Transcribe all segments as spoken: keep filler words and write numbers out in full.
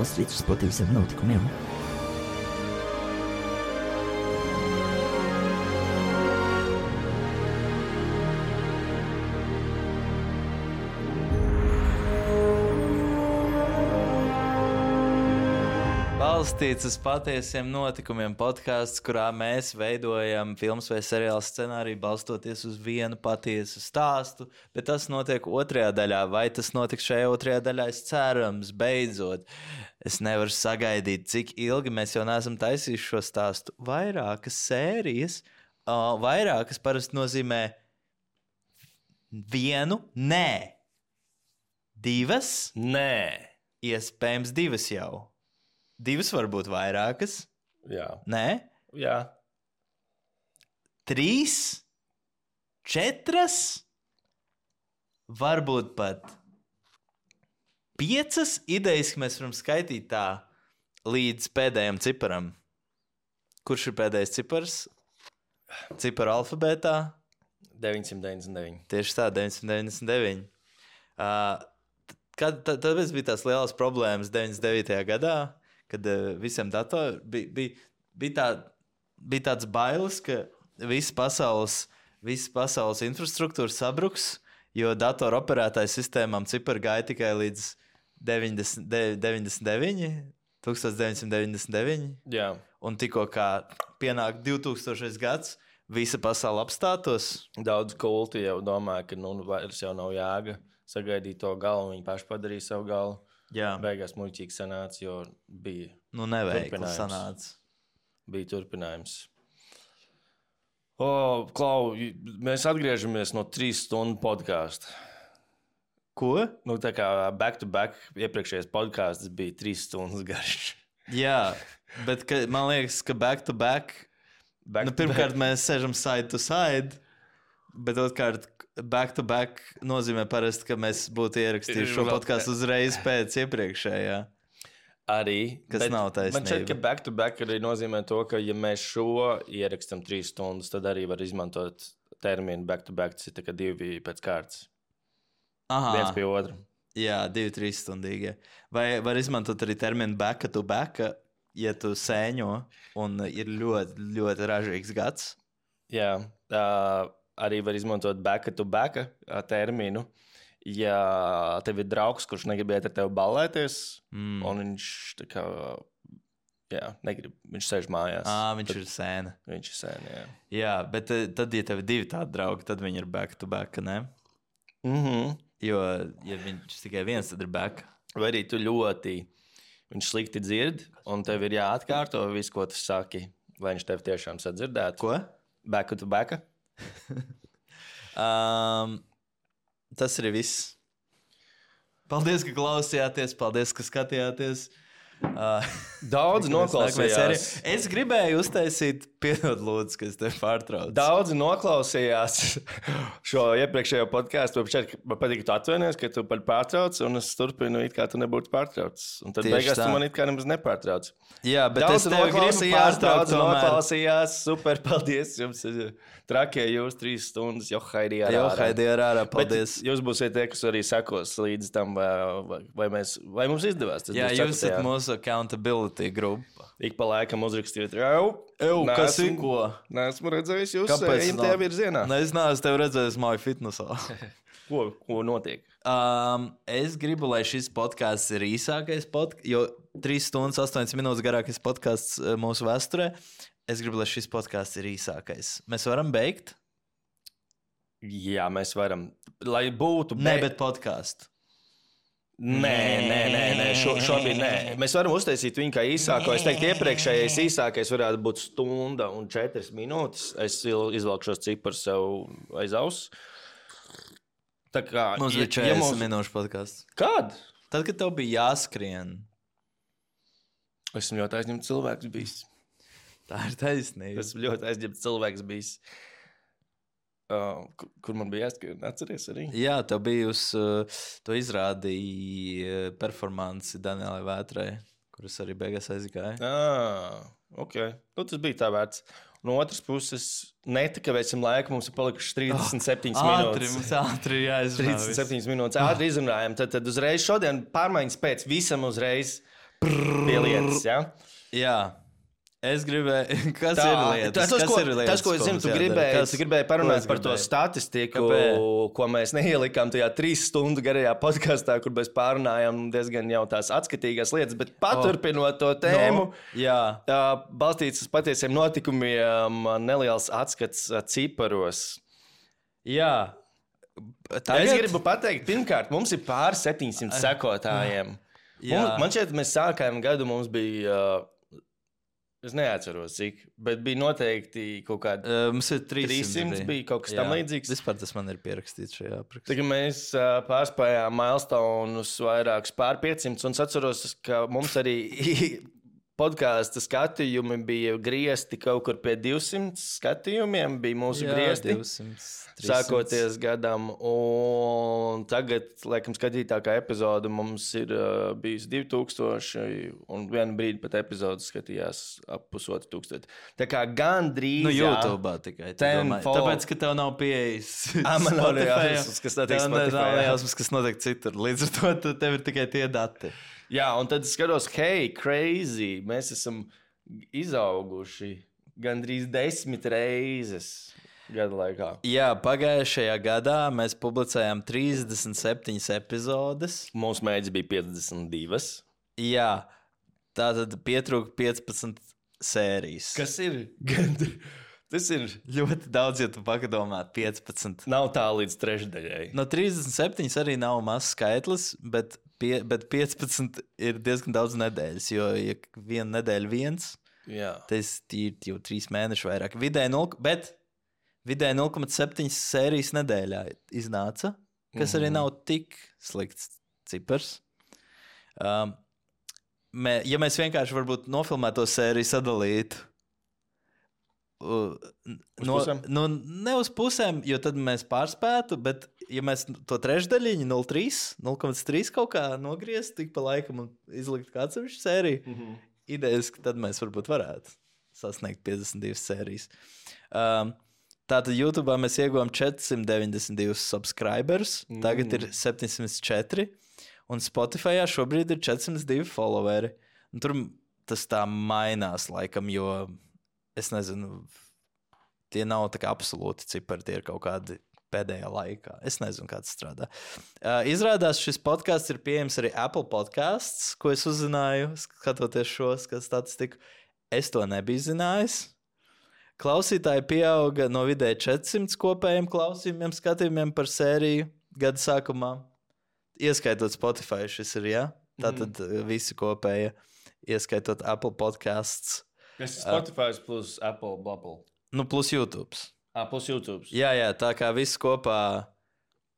balstīts uz patiesiem notikumiem. Balstīts uz patiesiem notikumiem podkāsts, kurā mēs veidojam filmas vai seriālu scenāriju balstoties uz vienu patiesu stāstu, bet tas notiek otrajā daļā. Vai tas notiks šajā otrajā daļā? Es cerams, beidzot. Es nevaru sagaidīt, cik ilgi mēs jau neesam taisījuši šo stāstu. Vairākas sērijas, uh, vairākas parasti nozīmē vienu, nē. Divas? Nē. Iespējams divas jau. Divas varbūt vairākas. Jā. Nē? Jā. Trīs? Četras? Varbūt pat piecas idejas, ka mēs varam skaitīt tā līdz pēdējam ciparam. Kurš ir pēdējais cipars? Ciparu alfabētā? deviņsimt deviņdesmit deviņi. Tieši tā, deviņsimt deviņdesmit deviņi. Uh, kad, tad, tad bija tās lielas problēmas deviņdesmit devītajā gadā, kad uh, visiem datoriem bija, bija, bija, tā, bija tāds bailes, ka visa pasaules, visa pasaules infrastruktūra sabruks, jo datoru operētāju sistēmām cipari gāja tikai līdz deviņdesmit deviņi, deviņdesmit deviņi. Jā. Un tikko kā pienāk divtūkstošais gads, visa pasaule apstātos. Daudz kulti jau domāja, ka nu, vairs jau nav jēga sagaidīt to galu, viņi paši padarīja savu galu. Jā. Beigās muļķīgi sanāca, jo bija Nu, neveikli sanāca. Bija turpinājums. O, Klau, mēs atgriežamies no trīs stundu podkāsta. Ko? Nu, tā kā back to back iepriekšējais podkāsts bija trīs stundas garš. Jā, bet ka, man liekas, ka back to back, back nu, to pirmkārt back. mēs sēžam side to side, bet otrkārt back to back nozīmē parasti, ka mēs būtu ierakstījuši šo podkāstu uzreiz pēc iepriekšējā. Arī. Kas bet, nav taisnība. Man šķiet, ka back to back arī nozīmē to, ka ja mēs šo ierakstam trīs stundas, tad arī var izmantot terminu back to back, tas ir tā kā divi pēc kārtas. Aha. Viens pie otra. Jā, divi, trīs stundīgi. Vai var izmantot arī terminu back to back, ja tu sēņo un ir ļoti, ļoti ražīgs gads? Jā, uh, arī var izmantot back to back terminu. Ja tev ir draugs, kurš negrib iet ar tevi ballēties, mm. un viņš tā kā, jā, negrib, viņš sēž mājās. Ā, viņš tad, ir sēna. Viņš ir sēna, jā. Jā, bet tad, ja tev ir divi tādi draugi, tad viņi ir back to back, ne? Mhm. Jo, ja viņš tikai viens, tad ir back. Vai arī tu ļoti, viņš slikti dzird, un tev ir jāatkārto visu, ko tu saki, lai viņš tev tiešām sadzirdētu. Ko? Back to back. um, tas arī viss. Paldies, ka klausījāties, paldies, ka skatījāties. Uh, Daudz noklausījās. Es gribēju uztaisīt, piedod lūdzu, ka es tevi pārtraucu. Daudzi noklausījās šo iepriekšējo podkāstu. Man patīk, ka tu atvainojies, ka tu pārtrauc, un es turpinu, it kā tu nebūtu pārtraucis. Un tad Tieši beigās tā. tu man it kā nemaz nepārtrauc. Jā, bet daudz es tevi gribu pārtraukt daudz tomēr. noklausījās. Super, paldies jums. Trakie jūs trīs stundas, jo haidī ar Jo, ārā. haidī ar ārā, paldies. Bet jūs būsiet tie, kas arī sekos līdz tam, vai, vai, mēs, vai mums izdevās. Tas Jā, būs jūs esat ceturtajā. mūsu accountability grupa. Ik pa laikam uzrakstīt, jau, Ew, kas ir neesmu- ko? Neesmu redzējis jūs Kāpēc ejam nav? tajā virzienā. Ne, es neesmu tevi redzējis māju fitnesā. Ko, ko notiek? Um, es gribu, lai šis podkāsts ir īsākais podkāsts, jo trīs stundas, astoņas minūtes garākais podkāsts mūsu vēsturē. Es gribu, lai šis podkāsts ir īsākais. Mēs varam beigt? Jā, mēs varam. Lai būtu. Nē, be- bet podkāstu. Nē, nē, nē, nē. Šo, šobrīd nē. Mēs varam uztaisīt viņu kā īsāko. Es teiktu, iepriekšējais īsākais varētu būt stunda un četras minūtes. Es il- izvelku šos ciparus sev aiz auss. Tā kā. Mums bija četrdesmit minūšu podkāsts. Kad? Tad, kad tev bija jāskrien, Esmu ļoti aizņemts cilvēks bijis. tā ir taisnība. Esmu ļoti aizņemts cilvēks bijis. Uh, kur, kur man bija jāskrien? Atceries arī? Jā, tev bija uz uh, to izrādīja uh, performanci Danielai Vētrai, kuras arī beigās aizgāja. Ah, ok. Nu, tas bija tā vērts. No otras puses, netikavēsim laiku, mums ir palikušas trīsdesmit septiņas Ātri, minūtes. mums ātri jāizrunā. trīsdesmit septiņas minūtes ātri izrunājam. Tad, tad uzreiz šodien pārmaiņas pēc visam uzreiz pie lietas, jā? Jā. Es gribēju, kas Tā, ir lietas? tas, kas ko, ir lietas, tas, ko es zinu, mums tu jādara? gribēji, Kas- tu gribēji ko parunāt es par to gribēju? statistiku, Kāpēc? ko mēs neielikām tajā trīs stundu garajā podkāstā, kur mēs pārunājām diezgan jau tās atskatīgās lietas, bet paturpinot to tēmu, No, jā. tā, balstīts uz patiesiem notikumiem, neliels atskats ā, ciparos. Jā. Tagad... Es gribu pateikt, pirmkārt, mums ir pāri septiņsimt sekotājiem. Jā. Mums, man šķiet, mēs sākām gadu, mums bija, uh, es neatceros cik, bet bija noteikti kaut kādi Uh, mums ir trīssimts. trīssimts, bija kaut kas tam līdzīgs. Vispār tas man ir pierakstīts šajā aprakstā. Tagad mēs uh, pārspējām milestones vairākus pār piecsimt, un es atceros, ka mums arī podkāstu skatījumi bija griezti kaut kur pie divsimt skatījumiem, bija mūsu Jā, griezti. divsimt, trīssimts. Sākoties gadam, un tagad, laikam, skatītākā epizode mums ir uh, bijusi divi tūkstoši, un vienu brīdi pat epizode skatījās ap pusotru tūkstoši. Tā kā gandrīz. Nu, YouTube tikai. tu domā. Tenfold. Tāpēc, ka tev nav pieejas. Ā, man nav Spotify. jausmas, kas notiek Tev ne- Spotify, nav jā. jausmas, kas notiek citur. Līdz ar to tu- tev ir tikai tie dati. Jā, un tad es skatos, hei, crazy, mēs esam izauguši gandrīz desmit reizes gada laikā. Jā, pagājušajā gadā mēs publicējām trīsdesmit septiņas epizodes. Mūsu mērķis bija piecdesmit divas. Jā, tā tad pietrūka piecpadsmit sērijas. Kas ir? Gandri... Tas ir. Ļoti daudz, ja tu padomā, piecpadsmit. Nav tā līdz trešdaļai. No trīsdesmit septiņas arī nav mazs skaitlis, bet, pie, bet piecpadsmit ir diezgan daudz nedēļas. Jo, ja viena nedēļa viens, Jā. tas ir jau trīs mēneši vairāk. Vidēji nulle, bet vidēji nulle komats septiņi sērijas nedēļā iznāca, kas arī nav tik slikts cipars. Um, mē, ja mēs vienkārši varbūt nofilmētu to sēriju sadalītu, Uh, no, pusēm? nu, ne uz pusēm, jo tad mēs pārspētu, bet, ja mēs to trešdaļiņu, nulle komats trīs kaut kā nogrieztu, tik pa laikam un izlikt kā atsevišķu sēriju, mm -hmm. idejaski tad mēs varbūt varētu sasniegt piecdesmit divas sērijas. Um, tātad YouTube mēs ieguvām četrsimt deviņdesmit divus subscribers, mm. tagad ir septiņsimt četri, un Spotify šobrīd ir četrsimt divi followeri. Un tur tas tā mainās laikam, jo es nezinu, tie nav tā kā absolūti cipari, tie ir kaut kādi pēdējā laikā. Es nezinu, kā tas strādā. Uh, izrādās, šis podkāsts ir pieejams arī Apple podcasts, ko es uzzināju, skatoties šo statistiku. Es to nebiju zinājis. Klausītāji pieauga no vidēji četrsimt kopējiem klausījumiem, skatījumiem par sēriju gada sākumā. Ieskaitot Spotify, šis ir, jā? Tātad mm. visi kopēja, ieskaitot Apple podcasts. Tas ir Spotify plus Apple Bubble. Nu, plus YouTube. Ah, plus YouTube. Jā, jā, tā kā viss kopā,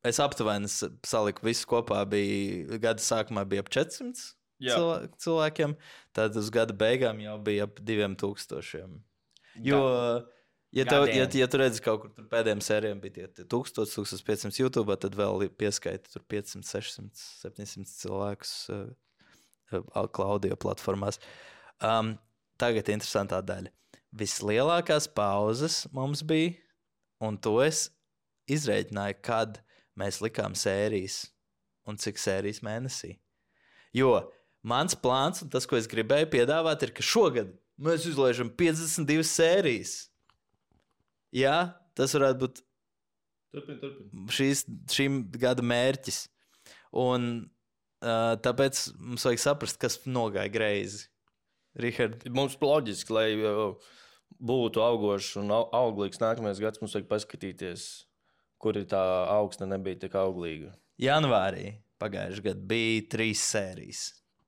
es aptuveni saliku, viss kopā bija, gada sākumā bija ap četrsimt cilvē, cilvēkiem, tad uz gada beigām jau bija ap diviem tūkstošiem. Jo, ja, tev, ja, ja tu redzi kaut kur tur pēdējiem sērijiem bija tie, tie tūkstoši, tūkstoš piecsimt YouTube, tad vēl pieskaita tur piecsimt, sešsimt, septiņsimt cilvēkus uh, Klaudio platformās. Um, Tagad interesantā daļa. Vislielākās pauzes mums bija, un to es izrēķināju, kad mēs likām sērijas un cik sērijas mēnesī. Jo mans plāns un tas, ko es gribēju piedāvāt, ir, ka šogad mēs izlaižam piecdesmit divas sērijas. Jā, tas varētu būt turpin, turpin. Šīs, šīm gada mērķis. Un uh, tāpēc mums vajag saprast, kas nogāja greizi. Richard. Mums loģiski, lai uh, būtu augošs un au- auglīgs nākamais gads, mums vajag paskatīties, kur ir tā augsta nebija tik auglīga. Janvārī pagājušajā gadā bija trīs sērijas.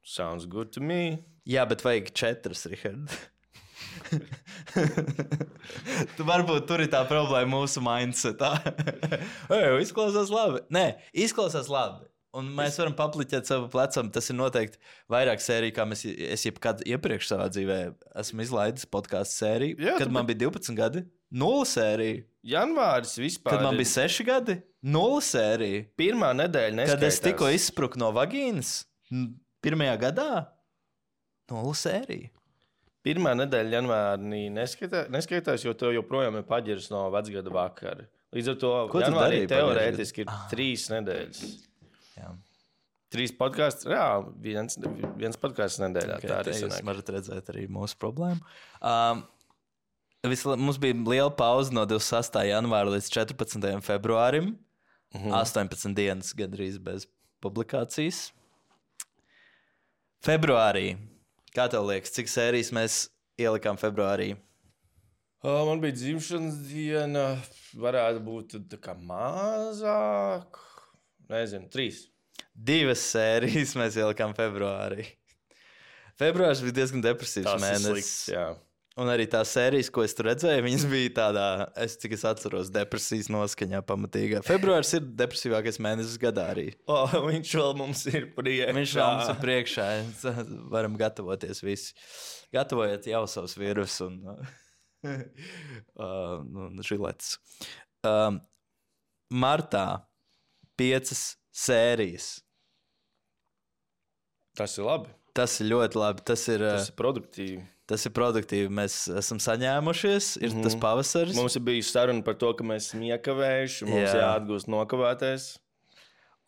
Sounds good to me. Jā, bet vajag četras, Richard. Tu varbūt tur ir tā problēma mūsu mindsetā. Ei, izklausās labi. Nē, izklausās labi. Un mēs varam papliķēt savu plecam. Tas ir noteikti vairāk sēriju, kā mēs, es jebkad iepriekš savā dzīvē esmu izlaidis podkāstu sēriju. Jā, kad tu- man bija divpadsmit gadi, nulle sērija. Janvāris vispār. Kad man ir bija seši gadi, nulle sērija. pirmā nedēļa, neskaitās. Kad es tikko izspruku no vagīnas, n- pirmajā gadā, nulle sērija. Pirmā nedēļa janvārī neskaitā, neskaitās, jo tev joprojām ir paģirs no vecgada vakara. Līdz ar to Ko tu janvārī darīji teorētiski ir pagājušajā trīs nedēļas. Jā. Trīs podkāstus, jā, viens, viens podkāsts nedēļā. Okay, tā arī jūs sanāk. varat redzēt arī mūsu problēmu. Um, visla, mums bija liela pauze no divdesmit sastā janvāra līdz četrpadsmitajam februārim. Mhm. astoņpadsmit dienas gandrīz bez publikācijas. Februārī. Kā tev liekas, cik sērijas mēs ielikām februārī? Uh, man bija dzimšanas diena, varētu būt tā kā mazāk. Nezinu, trīs. Divas sērijas mēs ielikām februārī. Februārs bija diezgan depresīvs Tas ir mēnesis. slikts, jā. Un arī tās sērijas, ko es tur redzēju, viņas bija tādā, es cik es atceros, depresijas noskaņā pamatīgā. Februārs ir depresīvākais mēnesis gadā arī. Oh, viņš vēl mums ir priekšā. Viņš vēl mums ir priekšā. Varam gatavoties visi. Gatavojiet jau savus vīrus un uh, nu, žiletes. Um, martā piecas sērijas. Tas ir labi. Tas ir ļoti labi. Tas ir, Tas ir produktīvi. tas ir produktīvi. Mēs esam saņēmušies. Ir mm-hmm. tas pavasaris. Mums ir bijusi saruna par to, ka mēs esam iekavējuši. Mums Jā. jāatgūst nokavēties.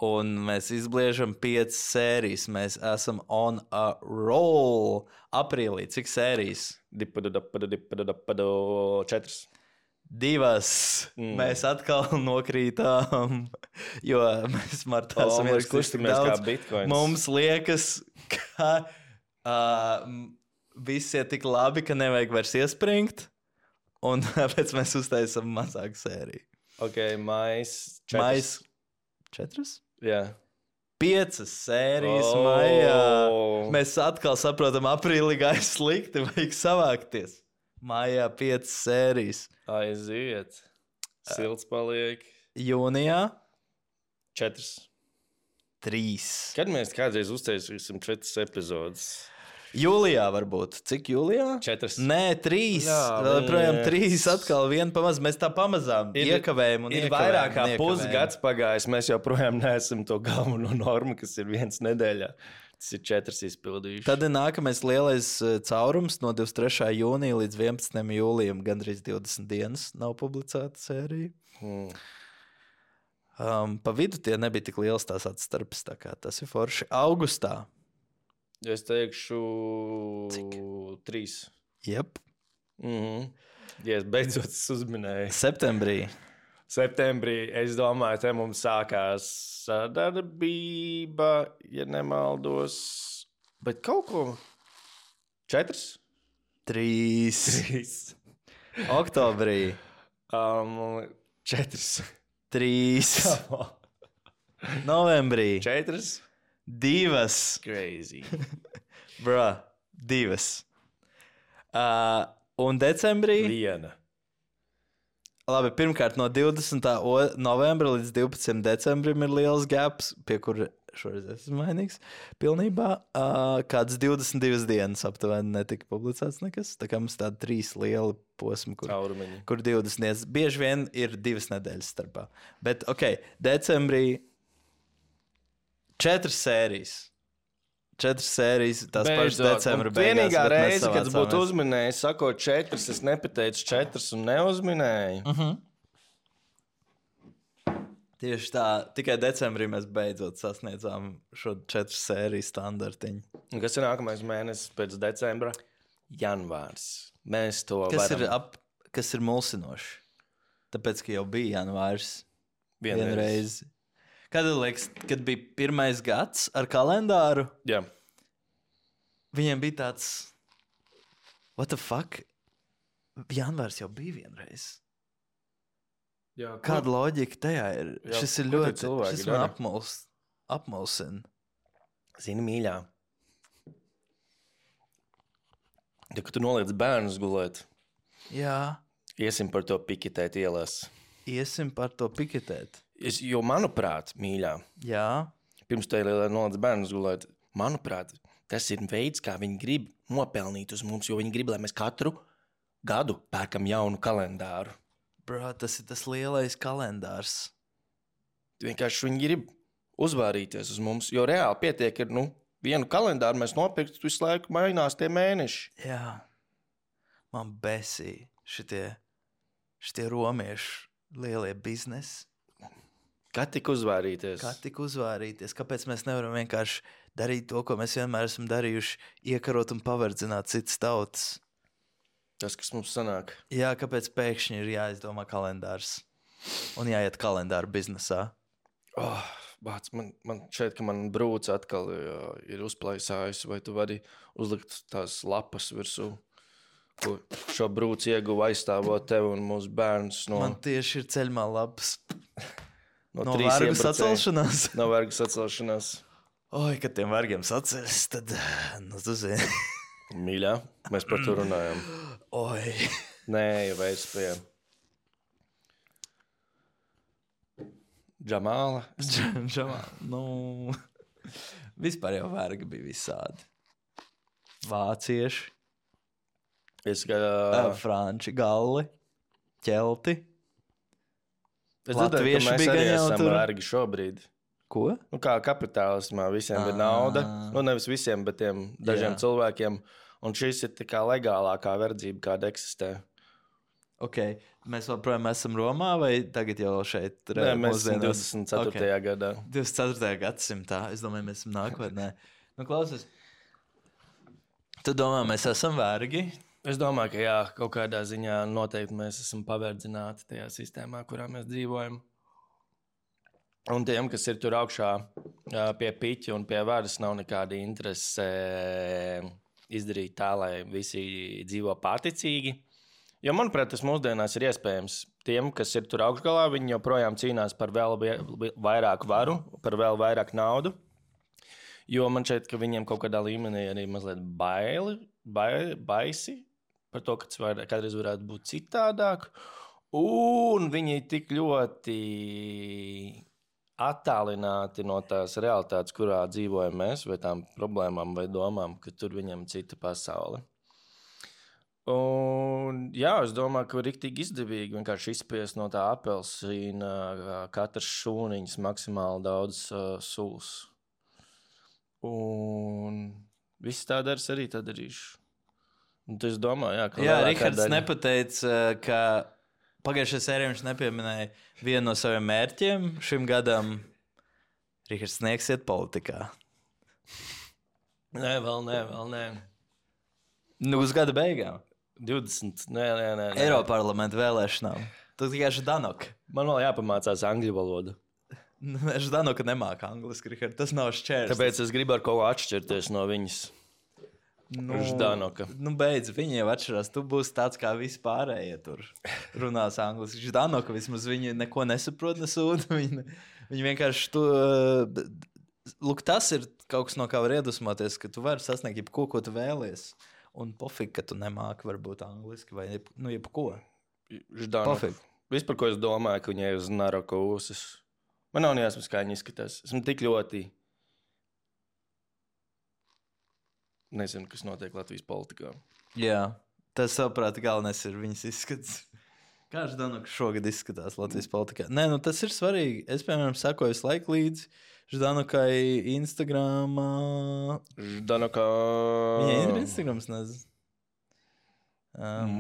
Un mēs izbliežam piecas sērijas. Mēs esam on a roll. Aprīlī. Cik sērijas? Dipadu, dapadu, dipadu, dapadu, četras. Divas. Mm. Mēs atkal nokrītām, jo mēs martā O, esam mēs ierakstījuši kustamies tik kā daudz. bitcoins. Mums liekas, ka uh, viss ir tik labi, ka nevajag vairs iespringt, un tāpēc mēs uztaisam mazāku sēriju. Ok, mais. Četras. Mais četras? Jā. Piecas sērijas Oh. maijā. Mēs atkal saprotam, aprīlī gāja slikti, vajag savākties. Maijā piecas sērijas. Aiziet. Silts paliek. Jūnijā Četras. trīs. Kad mēs kādreiz uztaisīsim četras epizodes? Jūlijā varbūt. Cik jūlijā? Četras. Nē, trīs. Jā, Vēl projām bet- trīs. Atkal viena pamazām. Mēs tā pamazām Ir- iekavējam un Ir iekavējam vairāk kā un iekavējam. pusgads pagājis. Mēs joprojām neesam to galveno normu, kas ir viens nedēļā. Tas ir četras izpildījuši. Tad ir nākamais lielais eh, caurums no divdesmit trešā jūnija līdz vienpadsmitajam jūlijam. Gandrīz divdesmit dienas nav publicēta sērija. Hmm. Um, pa vidu tie nebija tik liels tās atstarpes. Tā kā tas ir forši. Augustā. Es teikšu, Cik? trīs. Jep. Mhm. Ja es beidzot uzminēju. Septembrī. Septembrī, es domāju, te mums sākās sadarbība, ja nemaldos. Bet kaut ko. Četras? Trīs. Trīs. Oktobrī. Um, četras. Trīs. Novembrī. Četras? Divas. Crazy. Bro, divas. Uh, un decembrī. Viena. Labi, pirmkārt, no divdesmitā novembra līdz divpadsmitajam decembrim ir liels gaps, pie kura šoreiz esmu mainīgs. Pilnībā uh, kāds divdesmit divas dienas aptuveni netika publicēts nekas. Tā kā mums tādi trīs lieli posmi, kur, Caurumiņi. kur divdesmit dienas. Bieži vien ir divas nedēļas starpā. Bet, ok, decembrī četras sērijas. Četras sērijas, tās pašas decembra beigās. Vienīgā bet mēs reize, kad es būtu savācāmies. uzminējis, sakot četras, es nepateicu četras un neuzminēju. Uh -huh. Tieši tā, tikai decembrī mēs beidzot sasniedzām šo četru sēriju standartiņu. Un kas ir nākamais mēnesis pēc decembra? Janvārs. Mēs to Kas varam ir, ap, kas ir mulsinoši? Tāpēc, ka jau bija janvārs vienreiz. vienreiz. Kad, liekas, kad bija pirmais gads ar kalendāru, Jā. viņiem bija tāds, what the fuck? Janvārs jau bija vienreiz. Jā, Kāda loģika tajā ir? Jā, Šis ir ko tie ļoti, cilvēki šis man dara? apmuls, apmulsina. Zini, mīļā. Ja, kad tu noliec bērnus gulēt, Jā, iesim par to piketēt ielās. iesim par to piketēt. Es, jo, manuprāt, mīļā, Jā, pirms tam noliec bērnus gulēt, manuprāt, tas ir veids, kā viņi grib nopelnīt uz mums, jo viņi grib, lai mēs katru gadu pērkam jaunu kalendāru. bro, tas ir tas lielais kalendārs. Vienkārši viņi grib uzvārīties uz mums, jo reāli pietiek, ir nu, vienu kalendāru mēs nopirkt, visu laiku mainās tie mēneši. Jā, man besī šitie, šitie romiešu lielie biznesi. Kā tik uzvārīties? Kā tik uzvārīties? Kāpēc mēs nevaram vienkārši darīt to, ko mēs vienmēr esam darījuši, iekarot un paverdzināt citas tautas? Tas, kas mums sanāk. Jā, kāpēc pēkšņi ir jāizdomā kalendārs un jāiet kalendāra biznesā? Oh, bāc, man, man šeit, ka man brūce atkal jā, ir uzplaisājusi, vai tu vari uzlikt tās lapas virsū, ko šo brūci ieguva aizstāvot tev un mūsu bērnus no... Man tieši ir ceļmā lapas. No, No trīs vergu iebraucēju. sacelšanās. No vergu sacelšanās. Oi, kad tiem vergiem saceļas, tad, nu, tu zini. Mīļā, mēs par to runājam. Oi. Nē, jau vairs pie Džamāla. Džamā, nu, vispār jau vergi bija visādi. Vācieši, Es, kā, uh, franči, galli, ķelti. es dzirdēju, ka latvieši mēs bija arī gan jau esam tur. vergi šobrīd. Ko? Nu, kā kapitālismā visiem ir nauda. Nu, nevis visiem, bet tiem dažiem Jā. cilvēkiem. Un šis ir tā kā legālākā verdzība, kāda eksistē. Ok, mēs joprojām esam Romā vai tagad jau šeit? Nē, mēs esam mūsdienās? divdesmit ceturtajā Ok. gadā. divdesmit ceturtajā gadsimtā. Es domāju, mēs esam nākotnē. Nu, klausies. Tu domā, mēs esam vergi? Es domāju, ka jā, kaut kādā ziņā noteikti mēs esam paverdzināti tajā sistēmā, kurā mēs dzīvojam. Un tiem, kas ir tur augšā ā, pie piķa un pie varas, nav nekāda interese izdarīt tā, lai visi dzīvo pārticīgi. Jo, manuprāt, tas mūsdienās ir iespējams. Tiem, kas ir tur augšgalā, viņi joprojām cīnās par vēl vie- vairāk varu, par vēl vairāk naudu. Jo man šķiet, ka viņiem kaut kādā līmenī arī mazliet baili, bai, baisi par to, ka tas var, kādreiz varētu būt citādāk. Un viņi ir tik ļoti attālināti no tās realitātes, kurā dzīvojam mēs, vai tām problēmām vai domām, ka tur viņam ir cita pasaule. Un, jā, es domāju, ka ir rīktīgi izdevīgi vienkārši izspiest no tā apelsīna katrs šūniņš maksimāli daudz uh, sulas. Un viss tā dara, arī tā darīšu. Un es domāju, jā, ka Jā, lielākā Rihards daļa- nepateica, ka pagājušajā sērijā viņš nepieminēja vienu no saviem mērķiem šim gadam. Rihards sniegsiet politikā. Nē, vēl nē, vēl nē. Nu, uz gada beigām. divdesmit, nē, nē, nē. nē. Eiroparlamenta vēlēšanām. Tu tikai Ždanoka. Man vēl jāpamācās angļu valodu. Ždanoka nemāka angliski, Rihards. Tas nav šķērs. Tāpēc es gribu ar kaut ko atšķirties no viņas. nu, Ždanoka. Nu, beidz, viņi jau atšķirās. Tu būsi tāds kā vispārējie tur runās angliski. Ždanoka vismaz viņi neko nesaprot, nesūta. Viņi, viņi vienkārši tu... Lūk, tas ir kaut kas, no kā var iedvesmoties, ka tu vari sasniegt jebko, ko tu vēlies. Un pofīgi, ka tu nemāki varbūt angliski vai jeb, nu, jebko. Ždanoka. Pofīgi. Viss, par ko es domāju, ka viņai ir uz naroka ūsas. Man nav jāsmas, kā viņa izskatās. Esmu tik ļoti... Nezinu, kas notiek Latvijas politikā. Jā, tas, saprāt, galvenais ir viņas izskats. Kā Ždanoka šogad izskatās Latvijas politikā? Nē, nu tas ir svarīgi. Es, piemēram, sakoju visu laiku līdzi Ždanokai Instagramā. Ždanoka... Viņai ir Instagrams, nezinu. Um,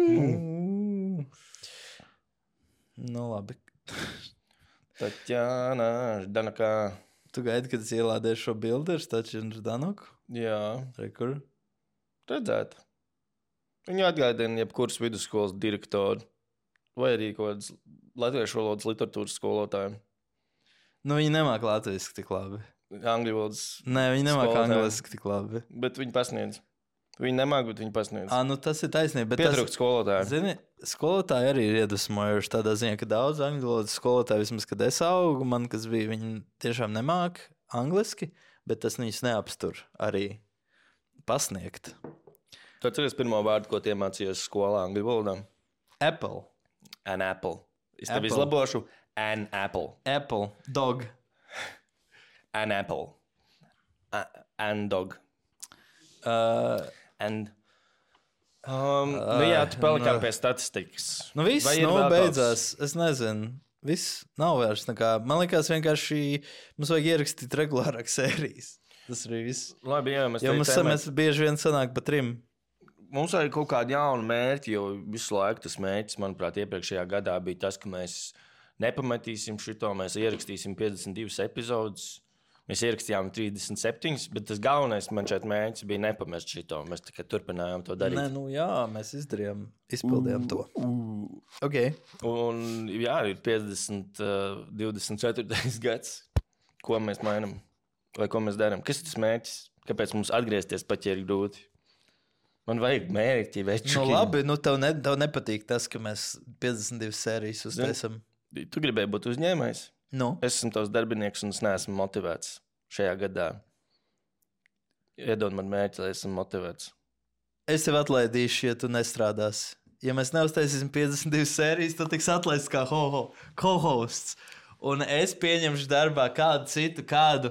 Mm. nu, labi. Taķāna, Ždanoka... Tu gaidi, kad es ielādēšu šo bildi ar Stačinu Ždanoku? Jā, Re, kur? redzēt. Viņu atgādina jebkuras vidusskolas direktoru vai arī kaut kādas latviešu valodas literatūras skolotāju. Nu, viņi nemāk latviski tik labi. Angļu valodas, Nē, viņi nemāk Skolotāji. angliski tik labi. bet viņi pasniedz. Viņi nemāk, bet viņi pasniedz. Ā, nu tas ir taisnība. bet Pietrūkst skolotāju. Zini, skolotāji arī ir iedvesmojuši tādā ziņā, ka daudz angļu valodas skolotāju, vismaz, kad es augu, man, kas bija, viņi tiešām nemāk angliski, bet tas viņus neapstur arī pasniegt. Tu atceries pirmo vārdu, ko tie mācījās skolā angļu valodā? Apple. An apple. Es tev Apple. izlabošu. An apple. Apple. Dog. An apple. A an dog. Uh, And... Um, nu jā, tu palikām nu. pie statistikas. nu viss, Vai ir nu, vēl beidzās. Es nezinu. Viss nav vairs nekā. Man liekas, vienkārši mums vajag ierakstīt regulārāk sērijas. Tas arī viss. Kaut... Labi, jā, mēs Jo mums, teicām, mēs bieži vien sanāk pa trim. mums vajag kaut kādu jaunu mērķi, jo visu laiku tas mērķis, manuprāt, iepriekšējā gadā bija tas, ka mēs nepametīsim šito, mēs ierakstīsim piecdesmit divas epizodus. Mēs ierakstījām trīsdesmit septiņas, bet tas galvenais man šeit mērķis bija nepamest šito. Mēs tikai turpinājām to darīt. Nē, nu jā, mēs izdarījām, izpildījām to. Ok. Un jā, ir piecdesmit, divdesmit ceturtais gads. Ko mēs mainām? Vai ko mēs darām? Kas ir tas mērķis? Kāpēc mums atgriezties pat, ja ir grūti? Man vajag mērķi, večuki. Nu labi, nu tev, ne, tev nepatīk tas, ka mēs piecdesmit divas sērijas uztaisam. Tu gribēji būt uzņēmējs? Nu? Es esmu tavs darbinieks un es neesmu motivēts šajā gadā. Iedod man mērķi, lai esmu motivēts. Es tev atlaidīšu, ja tu nestrādāsi. Ja mēs neuztaisīsim piecdesmit divas sērijas, tad tiks atlaists kā ho-ho, co-hosts. Un es pieņemšu darbā kādu citu, kādu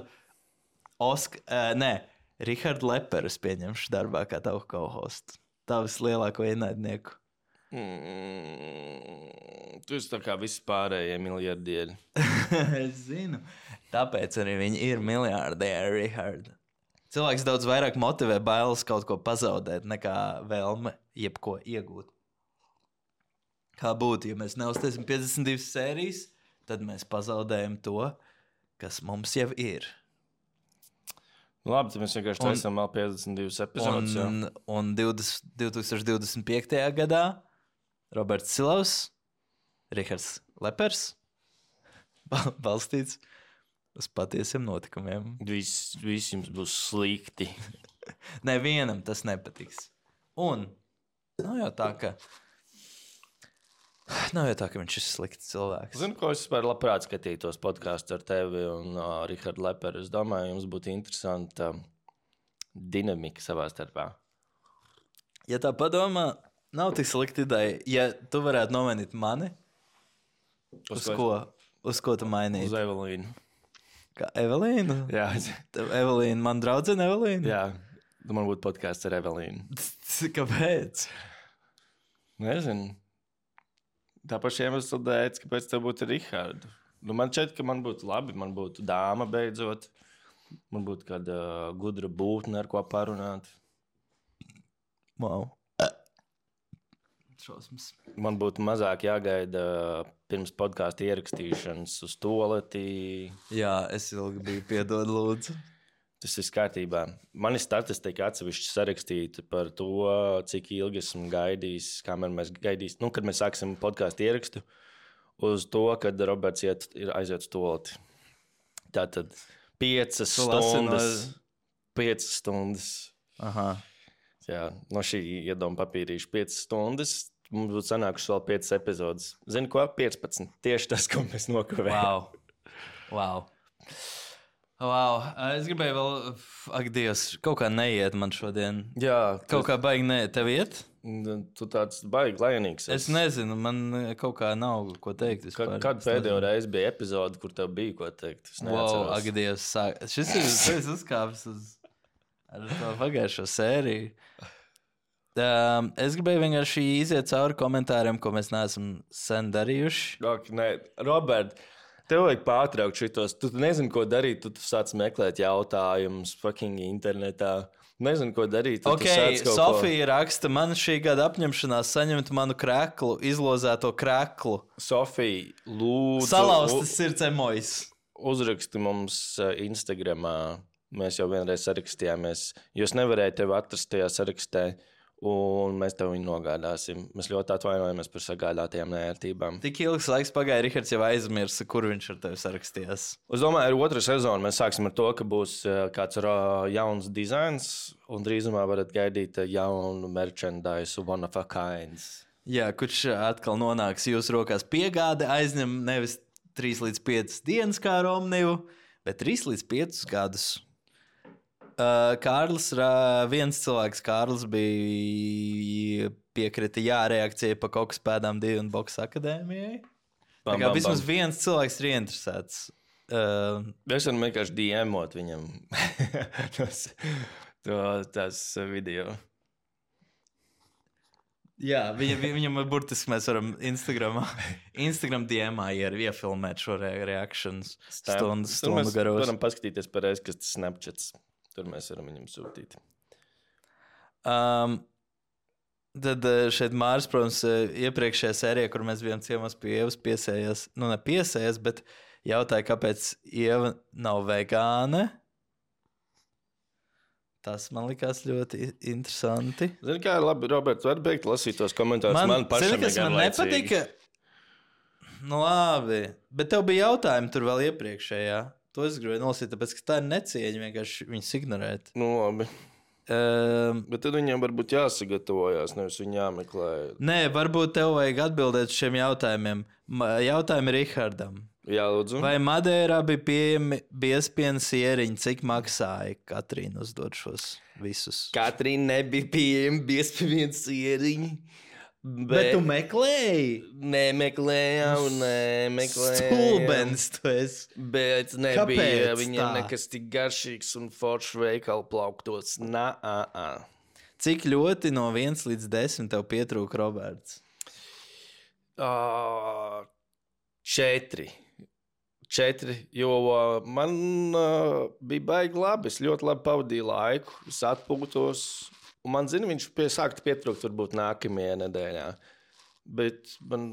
Osk... Uh, nē, Rihardu Leperu es pieņemšu darbā kā tavu co-hostu. Tavs lielāko ienaidnieku. Mm, tu esi tā kā visi pārējie miljardieri. Es zinu. Tāpēc arī viņi ir miljārdieri, Richard. Cilvēks daudz vairāk motivē bailes kaut ko pazaudēt, nekā vēlme jebko iegūt. Kā būtu, ja mēs neuztaisam piecdesmit divas sērijas, tad mēs pazaudējam to, kas mums jau ir. Labi, tad mēs vienkārši taisām vēl piecdesmit divas epizodes. Un, un divdesmit, divtūkstoš divdesmit piektajā gadā Roberts Silavs, Rihards Lepers, balstīts uz patiesiem notikumiem. Viss vis jums būs slikti. Nevienam tas nepatiks. Un nav jau tā, ka nav jau tā, ka viņš ir slikts cilvēks. Zinu, ko es vispār labprāt skatītos podkāstu ar tevi un uh, Rihardu Leperu. Es domāju, jums būtu interesanta uh, dinamika savā starpā. Ja tā padomā, nav tik slikta ideja. Ja tu varētu nomainīt mani, uz, uz ko? Uz ko tu mainītu? Uz Evelīnu. Kā Evelīnu? Jā. Evelīna, man draudzene Evelīna? Jā, man būtu podkāsts ar Evelīnu. Kāpēc? Nezinu. Tā paša iemesla dēļ, kāpēc tev būtu Rihardu. Nu, man šķiet, ka man būtu labi, man būtu dāma beidzot. Man būtu kāda uh, gudra būtne, ar ko parunāt. Wow. Šausmas. Man būtu mazāk jāgaida pirms podkāstu ierakstīšanas uz toaleti. Jā, es ilgi biju, piedod lūdzu. Tas ir kārtībā. Man ir statistika atsevišķi sarakstīta par to, cik ilgi esmu gaidījis, kamēr mēs gaidīsim, nu, kad mēs sāksim podkāstu ierakstu, uz to, kad Roberts iet, ir aiziet uz toaleti. Tātad piecas stundas. No... Piecas stundas. Aha. Jā, no šī iedoma papīrīša piecas stundas. Mums būtu sanākušas vēl piecas epizodes. Zini ko? piecpadsmit. Tieši tas, ko mēs nokavējām. Wow. Wow. Wow. Es gribēju vēl, ak, Dievs, kaut kā neiet man šodien. Jā. Kaut kā baigi neiet. Tev iet? Tu tāds baigi lainīgs. Es nezinu, man kaut kā nav ko teikt. Kad, kad pēdējo reizi bija epizode, kur tev bija ko teikt? Es neatceros. Wow, ak, Dievs, sāk. Šis ir, šis uzkāpis uz ar to pagājušo sēriju. Um, es gribēju vienkārši iziet cauri komentāriem, ko mēs neesam sen darījuši. Ok, nē, Robert, tev vajag pārtraukt šitos. Tu nezini, ko darīt. Tu, tu sāc meklēt jautājumus fucking internetā. Nezinu, ko darīt. Ok, Sofija ko... raksta, man šī gada apņemšanās saņemt manu kreklu, izlozēto kreklu. Sofija, lūdzu. Salauztas sirds emojas. Uzraksti mums Instagramā. Mēs jau vienreiz sarakstījāmies. Jūs nevarējāt tevi atrast tajā sarakstē. Un mēs tev viņu nogādāsim. Mēs ļoti atvainojamies par sagādātajām neērtībām. Tik ilgs laiks pagāja, Rihards jau aizmirsa, kur viņš ar tevi sarakstījās. Es domāju, ar otru sezonu mēs sāksim ar to, ka būs kāds jauns dizains, un drīzumā varat gaidīt jaunu merchandise, one of a kinds. Jā, kurš atkal nonāks jūsu rokās piegāde, aizņem nevis trīs līdz piecas dienas kā Romnivu, bet trīs līdz piecus gadus. Uh, Kārlis, uh, viens cilvēks, Kārlis, bija piekrita jā reakcija pa kokas pēdām divi un Boksa akadēmijai. Tā kā vismaz viens cilvēks ir ieinteresēts. Uh, es varu vienkārši D M-ot viņam tos, to, tās video. Jā, viņa, viņam burtiski mēs varam Instagramā, Instagram D M-ā iefilmēt šo re reakcijas stundu, stundu garos. Mēs varam paskatīties pareizi, kas tas Snapchats. Tur mēs varam viņam sūtīt. Um, Tad uh, šeit Māris, protams, uh, iepriekšējā sērijā, kur mēs bijām ciemos pie Ievas, piesējies, nu ne piesējies, bet jautāja, kāpēc Ieva nav vegāne. Tas man likās ļoti interesanti. Zini, kā labi, Roberts, var beigt lasīt tos komentārus. Man, man pašam zini, kas man nepatika. Nu labi, bet tev bija jautājumi tur vēl iepriekšējā. To es gribēju nolasīt, tāpēc, ka tā ir necieņa vienkārši viņus ignorēt. Nu labi. Um, bet tad viņam varbūt jāsagatavojās, nevis viņi jāmeklē. Nē, varbūt tev vajag atbildēt uz šiem jautājumiem. Jautājumi Rihardam. Jā, lūdzu. Vai Madeirā bija pieejami biezpiena sieriņi? Cik maksāja? Katrīna uzdod šos visus. Katrīna nebija pieejama biezpiena sieriņi. Bet, bet tu meklēji? Nemeklējām, nemeklējām. Stulbens tu esi. Bet nebija Kāpēc viņam tā? nekas tik garšīgs un foršs veikalu plauktos. Nā, ā, ā. Cik ļoti no viens līdz desmit tev pietrūka, Roberts? Uh, četri. Četri, jo uh, man uh, bija baigi labi. Es ļoti labi pavadīju laiku, es atpūtos. Un man zina, viņš pie, sākta pietrūkt varbūt nākamajā nedēļā. Bet man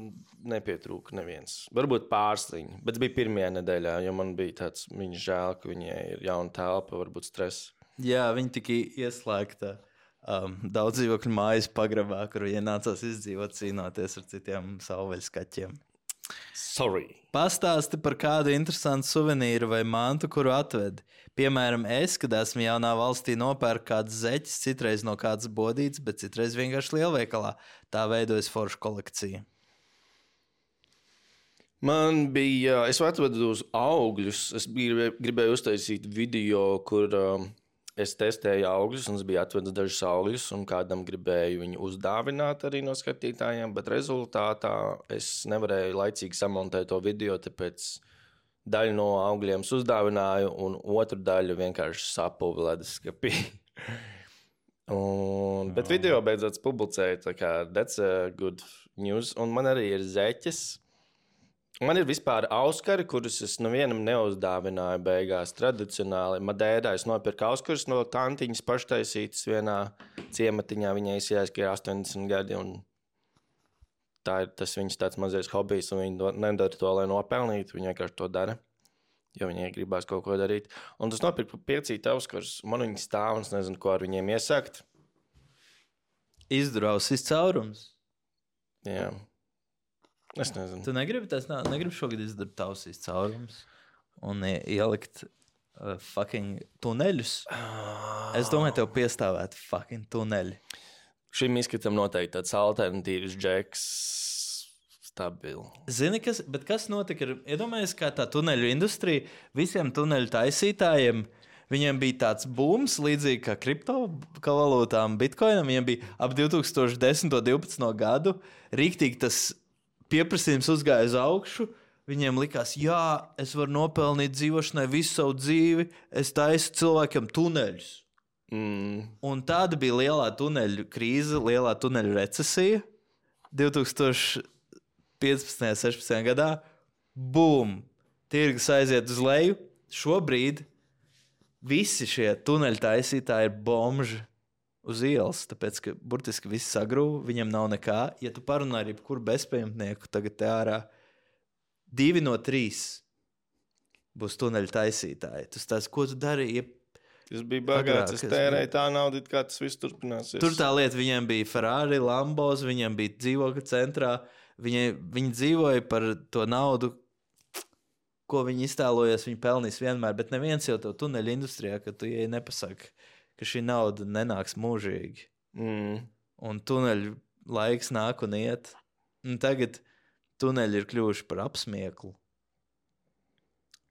nepietrūka neviens. Varbūt pārsliņi, bet bija pirmajā nedēļā, jo man bija tāds, viņa žēl, ka viņai ir jauna telpa, varbūt stress. Jā, viņa tika ieslēgta um, daudz dzīvokļu mājas pagrabā, kur viņai nācās izdzīvot cīnoties ar citiem savvaļskaķiem. Sorry. Pastāsti par kādu interesantu suvenīru vai mantu, kuru atvedi. Piemēram, es, kad esmu jaunā valstī, nopērku kādas zeķes, citreiz no kādas bodītes, bet citreiz vienkārši lielveikalā. Tā veidojas forša kolekcija. Man bija, es atvedu uz augļus. Es gribēju, gribēju uztaisīt video, kur um, es testēju augļus, un es biju atvedis dažus augļus, un kādam gribēju viņu uzdāvināt arī no skatītājiem, bet rezultātā es nevarēju laicīgi samontēt to video, tāpēc daļu no augļiem uzdāvināju, un otru daļu vienkārši sapuvi leduskapī. un, bet video beidzot publicēju, tā kā that's a good news, un man arī ir zeķes. Man ir vispār auskari, kurus es nevienam neuzdāvināju beigās tradicionāli. Madeirā es nopirku auskarus no tantiņas paštaisītas vienā ciematiņā. Viņai izsījās, ka ir astoņdesmit gadi, un tā ir tas viņas tāds mazais hobijs, un viņa nedara to, lai nopelnītu. Viņa vienkārši to dara, jo viņai gribās kaut ko darīt. Un tas nopirku piecīt auskarus, man viņi stāv, un es nezinu, ko ar viņiem iesakt. Izdrausis caurums. Jā. Es nezinu. Tu negribi, tas nā, negribi šogad izdarīt tausīs caurums un ielikt uh, fucking tuneļus? Es domāju, tev piestāvētu fucking tuneļi. Šim izskatam noteikti tāds alternatīvs džeks, stabili. Zini, kas, bet kas notika? Ir, iedomājies, kā tā tuneļu industrija, visiem tuneļu taisītājiem, viņiem bija tāds booms, līdzīgi kā kriptovalūtām, bitcoinam, viņiem bija ap divi tūkstoši desmito divpadsmito gadu, rīktīgi tas pieprasījums uzgāja uz augšu, viņiem likās, jā, es varu nopelnīt dzīvošanai visu savu dzīvi, es taisu cilvēkiem tuneļus. Mm. Un tāda bija lielā tuneļu krīze, lielā tuneļu recesija divi tūkstoši piecpadsmitajā sešpadsmitajā gadā. Bum! Tirgus aiziet uz leju. Šobrīd visi šie tuneļu taisītāji ir bomži uz ielas, tāpēc, ka burtiski viss sagrūva, viņam nav nekā. Ja tu parunā ar jebkuru bezpajumtnieku, tagad te ārā divi no trīs būs tuneļu taisītāji. Tas tās, ko tu dari? Ja... Tas bija bagāts, es tērēju tā naudu, kā tas viss turpināsies. Tur tā lieta, viņiem bija Ferrari, Lambos, viņiem bija dzīvokļa centrā, viņi, viņi dzīvoja par to naudu, ko viņi iztēlojas, viņi pelnīs vienmēr, bet neviens jau tev tuneļu industrijā, ka tu ieej nepasaka, ka šī nauda nenāks mūžīgi. Mm. Un tuneļu laiks nāk un iet. Un tagad tuneļi ir kļuvuši par apsmieklu.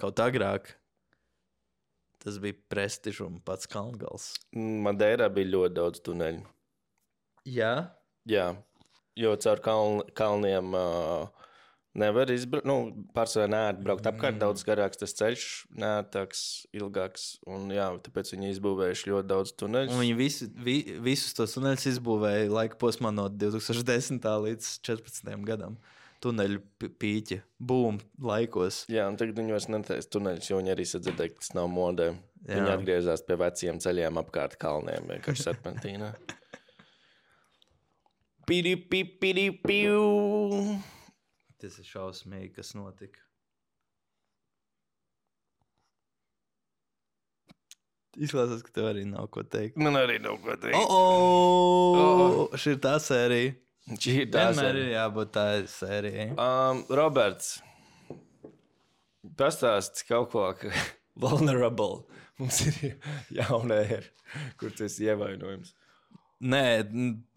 Kaut agrāk tas bija prestižs un pats Kalngals. Madeirā bija ļoti daudz tuneļu. Jā? Jā, jo caur kaln, kalniem uh, nevar izbraukt. Nu, pārsvarā neērt braukt apkārt, mm. daudz garāks tas ceļš, neērtāks, ilgāks. Un jā, tāpēc viņi izbūvējuši ļoti daudz tuneļus. Un viņi visu, vi, visus tos tuneļus izbūvēja laika posmā no divi tūkstoši desmitā līdz četrpadsmitajam gadam. Tuneļu pīķi, būm, laikos. Jā, un tagad viņi vairs netaisa tuneļus, jo viņi arī sadzirdēja, ka tas nav modē. Jā. Viņi atgriezās pie veciem ceļiem apkārt kalniem, vienkārši serpentīnā. Pidi, pidi, piu. Tas ir šausmīgi, kas notika. Izklausās, ka tev arī nav ko teikt. Man arī nav ko teikt. O, o, šī ir tā sērija. Šī ir tā Vienmēr sērija. ir jābūt tā sērijai. Um, Roberts, pastāsti kaut ko, ka vulnerable. Mums ir jauna ēra, kur tu esi ievainojums. Nē,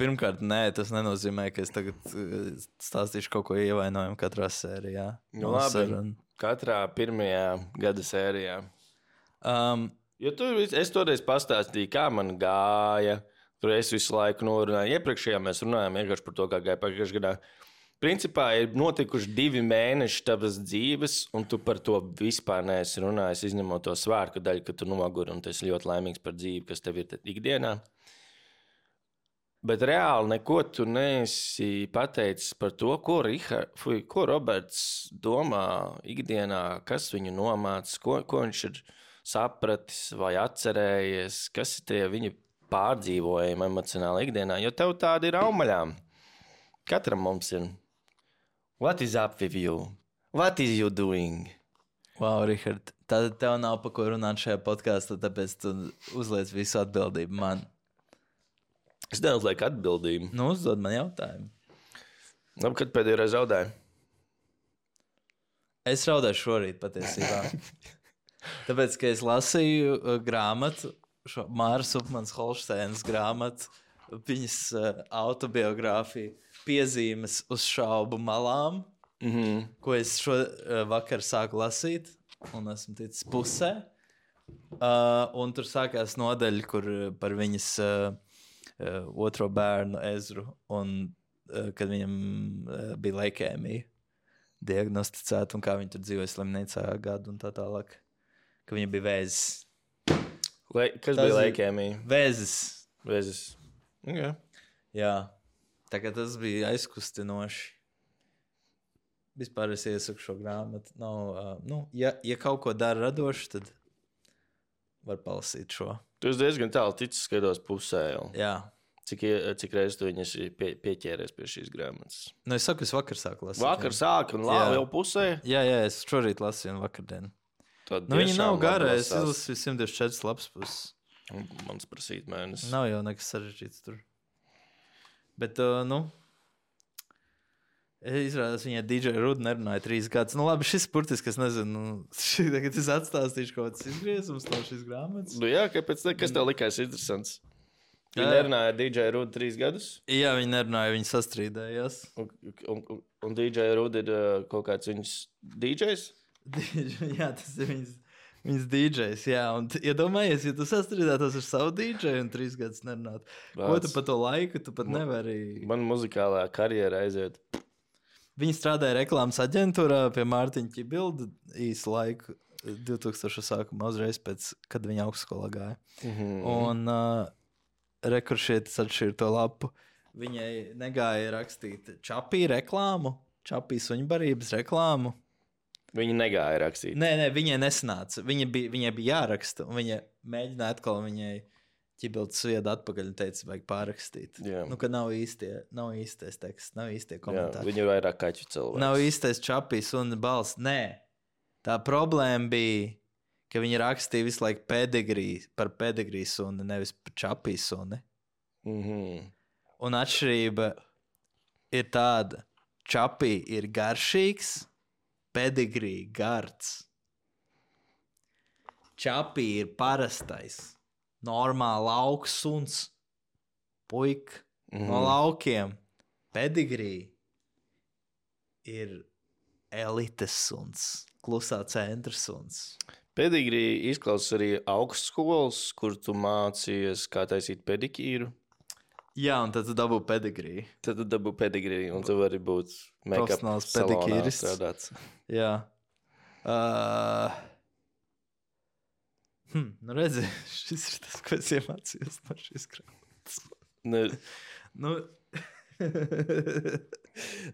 pirmkārt, nē, tas nenozīmē, ka es tagad uh, stāstīšu kaut ko ievainojumu katrā sērijā. Nu, labi, katrā pirmajā gada sērijā. Um, Jo tur es toreiz pastāstīju, kā man gāja. Tur es visu laiku norunāju. Iepriekšējā mēs runājām vienkārši par to, kā gāja pagājušajā gadā. Principā ir notikuši divi mēneši tavas dzīves, un tu par to vispār neesi runājis, izņemot to svārku daļu, ka tu noguri un tu esi ļoti laimīgs par dzīvi, kas tev ir ikdienā. Bet reāli neko tu neesi pateicis par to, ko, Richard, fui, ko Roberts domā ikdienā, kas viņu nomāca, ko, ko viņš ir sapratis vai atcerējies, kas ir tie viņa pārdzīvojumi emocionāli ikdienā, jo tev tādi ir aumaļām. Katram mums ir. What is up with you? What is you doing? wow, Richard, tad tev nav pa ko runāt šajā podkāstā, tāpēc tu uzliec visu atbildību man. Es neuzlieku atbildību. Nu, uzdod man jautājumu. Labi, kad pēdējo reizi raudāju? Es raudāju šorīt patiesībā. Tāpēc, ka es lasīju uh, grāmatu, šo Māras Upmanas Holšteinas grāmatu, viņas uh, autobiogrāfiju, piezīmes uz šaubu malām, Mhm. ko es šo uh, vakar sāku lasīt, un esmu ticis pusē. Uh, un tur sākās nodaļa, kur uh, par viņas uh, uh, otro bērnu Ezru, un uh, kad viņam uh, bija leikēmija diagnosticēta, un kā viņa tur dzīvoja slimnīcā gadu un tā tālāk. Ka viņa bija vēzis. Le, kas Tas bija ir- leikēmija? Vēzis. Vēzis. Okay. Jā. Tā kā tas bija aizkustinoši. Vispār es iesaku šo grāmatu. Nav, uh, nu, ja, ja kaut ko dara radoši, tad var palasīt šo. Tu esi diezgan tālu ticis, skatos pusē jau. Jā. Cik, ie- cik reizes tu viņas pie, pieķēries pie šīs grāmatas? Nu, es saku, es vakar sāku lasīt. Vakar jā. sāk un lāva Jā. jau pusē. Jā, jā, es šorīt lasīju un vakardien. Tad Nu, viņa tiešām nav gara, labi es lasās. izlasīju simt divdesmit četras lapas puses. Un Mans prasīt mēnesis. Nav jau nekas sarežģīts tur. Bet, uh, nu, izrādās, viņai D J Ruda nerunāja trīs gadus. Nu, labi, šis burtiski, es nezinu, šī tagad es atstāstīšu kaut kāds izgriezums no šīs grāmatas. Nu, jā, kāpēc ne? Kas tev likās interesants? Viņa Jā. nerunāja ar D J Rudu trīs gadus, Jā, viņi nerunāja, viņi sastrīdējās. un, un, un, un D J Ruda ir uh, kaut kāds viņas D Js? Jā, tas ir viņas, viņas D Js. Jā, un t- iedomājies, ja tu sastrīdētos ar savu D J un trīs gadus nerunāt. Ko tu pa to laiku, tu pat nevari. Man muzikālā karjera aiziet. Viņi strādāja reklāmas aģentūrā pie Mārtiņa Čibilda īsu laiku, divtūkstošo sākumā, uzreiz pēc, kad viņa augstskolā gāja. Mhm. Un uh, rekuršietis atšķīra to lapu. Viņai negāja rakstīt čapī reklāmu, čapī suņbarības reklāmu. Viņa negāja rakstīt. Nē, nē, viņai nesanāca. Viņa bija, viņai bija jāraksta, un viņa mēģināja atkal viņai ķibildu sviedu atpakaļ un teica, vajag pārrakstīt. Jā. Nu, ka nav īstie, nav īstais teksts, nav īstie Jā, komentāri. viņa ir vairāk kaķu cilvēks. Nav īstais čapīs un balss. Nē, tā problēma bija, ka viņi rakstīja visu laiku pedigrī, par pedigrī suni, nevis par čapīs suni. Mhm. Un atšķirība ir tāda, čapī ir garšīgs, pedigrī gards. Čapī ir parastais, normāli lauks suns, puika Mhm. no laukiem. Pedigrī ir elites suns, klusā centra suns. Pedigrī izklausās arī augstskolas, kur tu mācījies, kā taisīt pedikīru. Jā, un tad tu dabū pedigrī. Tad tu dabū pedigrī, un tu vari būt make-up Profesionāls salonā pedikīrists. strādāts. Jā. Uh, hm, nu redzi, šis ir tas, ko es iemācījos no šīs grāmatas. Ne, Nu,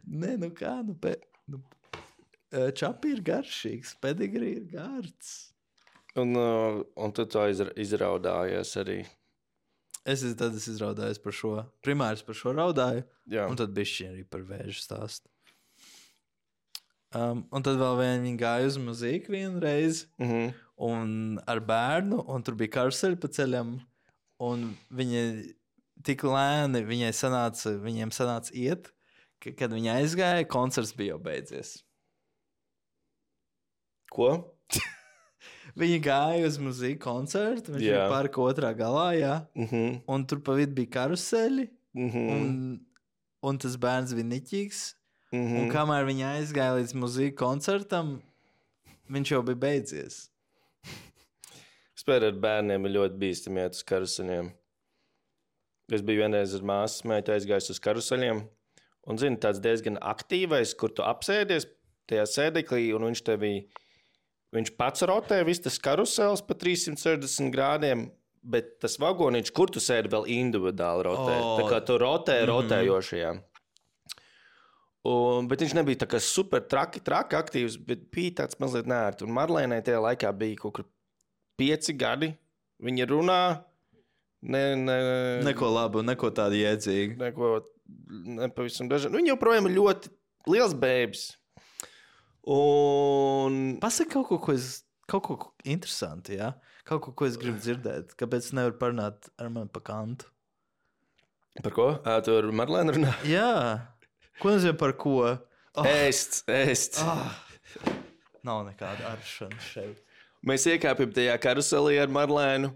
nē, nu kā, nu, pe, nu uh, čapī ir garšīgs, pedigrī ir gards. un, uh, un tu to izra izraudājies arī. Es, tad es izraudājos par šo. Primārs par šo raudāju. Jā. Un tad bišķi arī par vēžu stāstu. Um, un tad vēl vien viņi gāja uz muziku vienu reizi. Mhm. Un ar bērnu. Un tur bija karuseļi pa ceļam. Un viņa tik lēni viņai sanāca, viņiem sanāca iet, ka, kad viņa aizgāja, koncerts bija jau beidzies. Ko? Viņa gāja uz muziku koncertu, viņš Jā. bija parka otrā galā, jā. Mhm. Un tur pa vidu bija karuseļi, Mhm. un, un tas bērns bija niķīgs. Mhm. Un kamēr viņa aizgāja līdz muziku koncertam, viņš jau bija beidzies. Spēr ar bērniem ir ļoti bīstami iet uz karuseļiem. Es biju vienreiz ar māsas meitu aizgājis uz karuseļiem. Un, zini, tāds diezgan aktīvais, kur tu apsēdies tajā sēdeklī, un viņš tevi, viņš pats rotē viss tas karusels pa trīssimt sešdesmit grādiem, bet tas vagoniņš, kur tu sēdi, vēl individuāli rotē. O. Tā kā tu rotē rotējošajā. Un, bet viņš nebija tā kā super traki, traki aktīvs, bet bija tāds mazliet nērti. Un Marlēnai tajā laikā bija kaut kur pieci gadi. Viņa runā, ne, ne, Neko labu, neko tādu jēdzīgu. neko nepavisam dažādu. Viņa joprojām ir ļoti liels bēbis. Un Pasaka kaut ko, ko es, kaut ko interesanti, jā? Kaut ko, ko es gribu dzirdēt. Kāpēc nevar parunāt ar mani pa kantu? par ko? Ā, tu ar Marlēnu runā? Jā. Ko nozīmē par ko? Oh, Ēst, ēst. oh. Nav nekāda aršana šeit. Mēs iekāpjam tajā karuselī ar Marlēnu.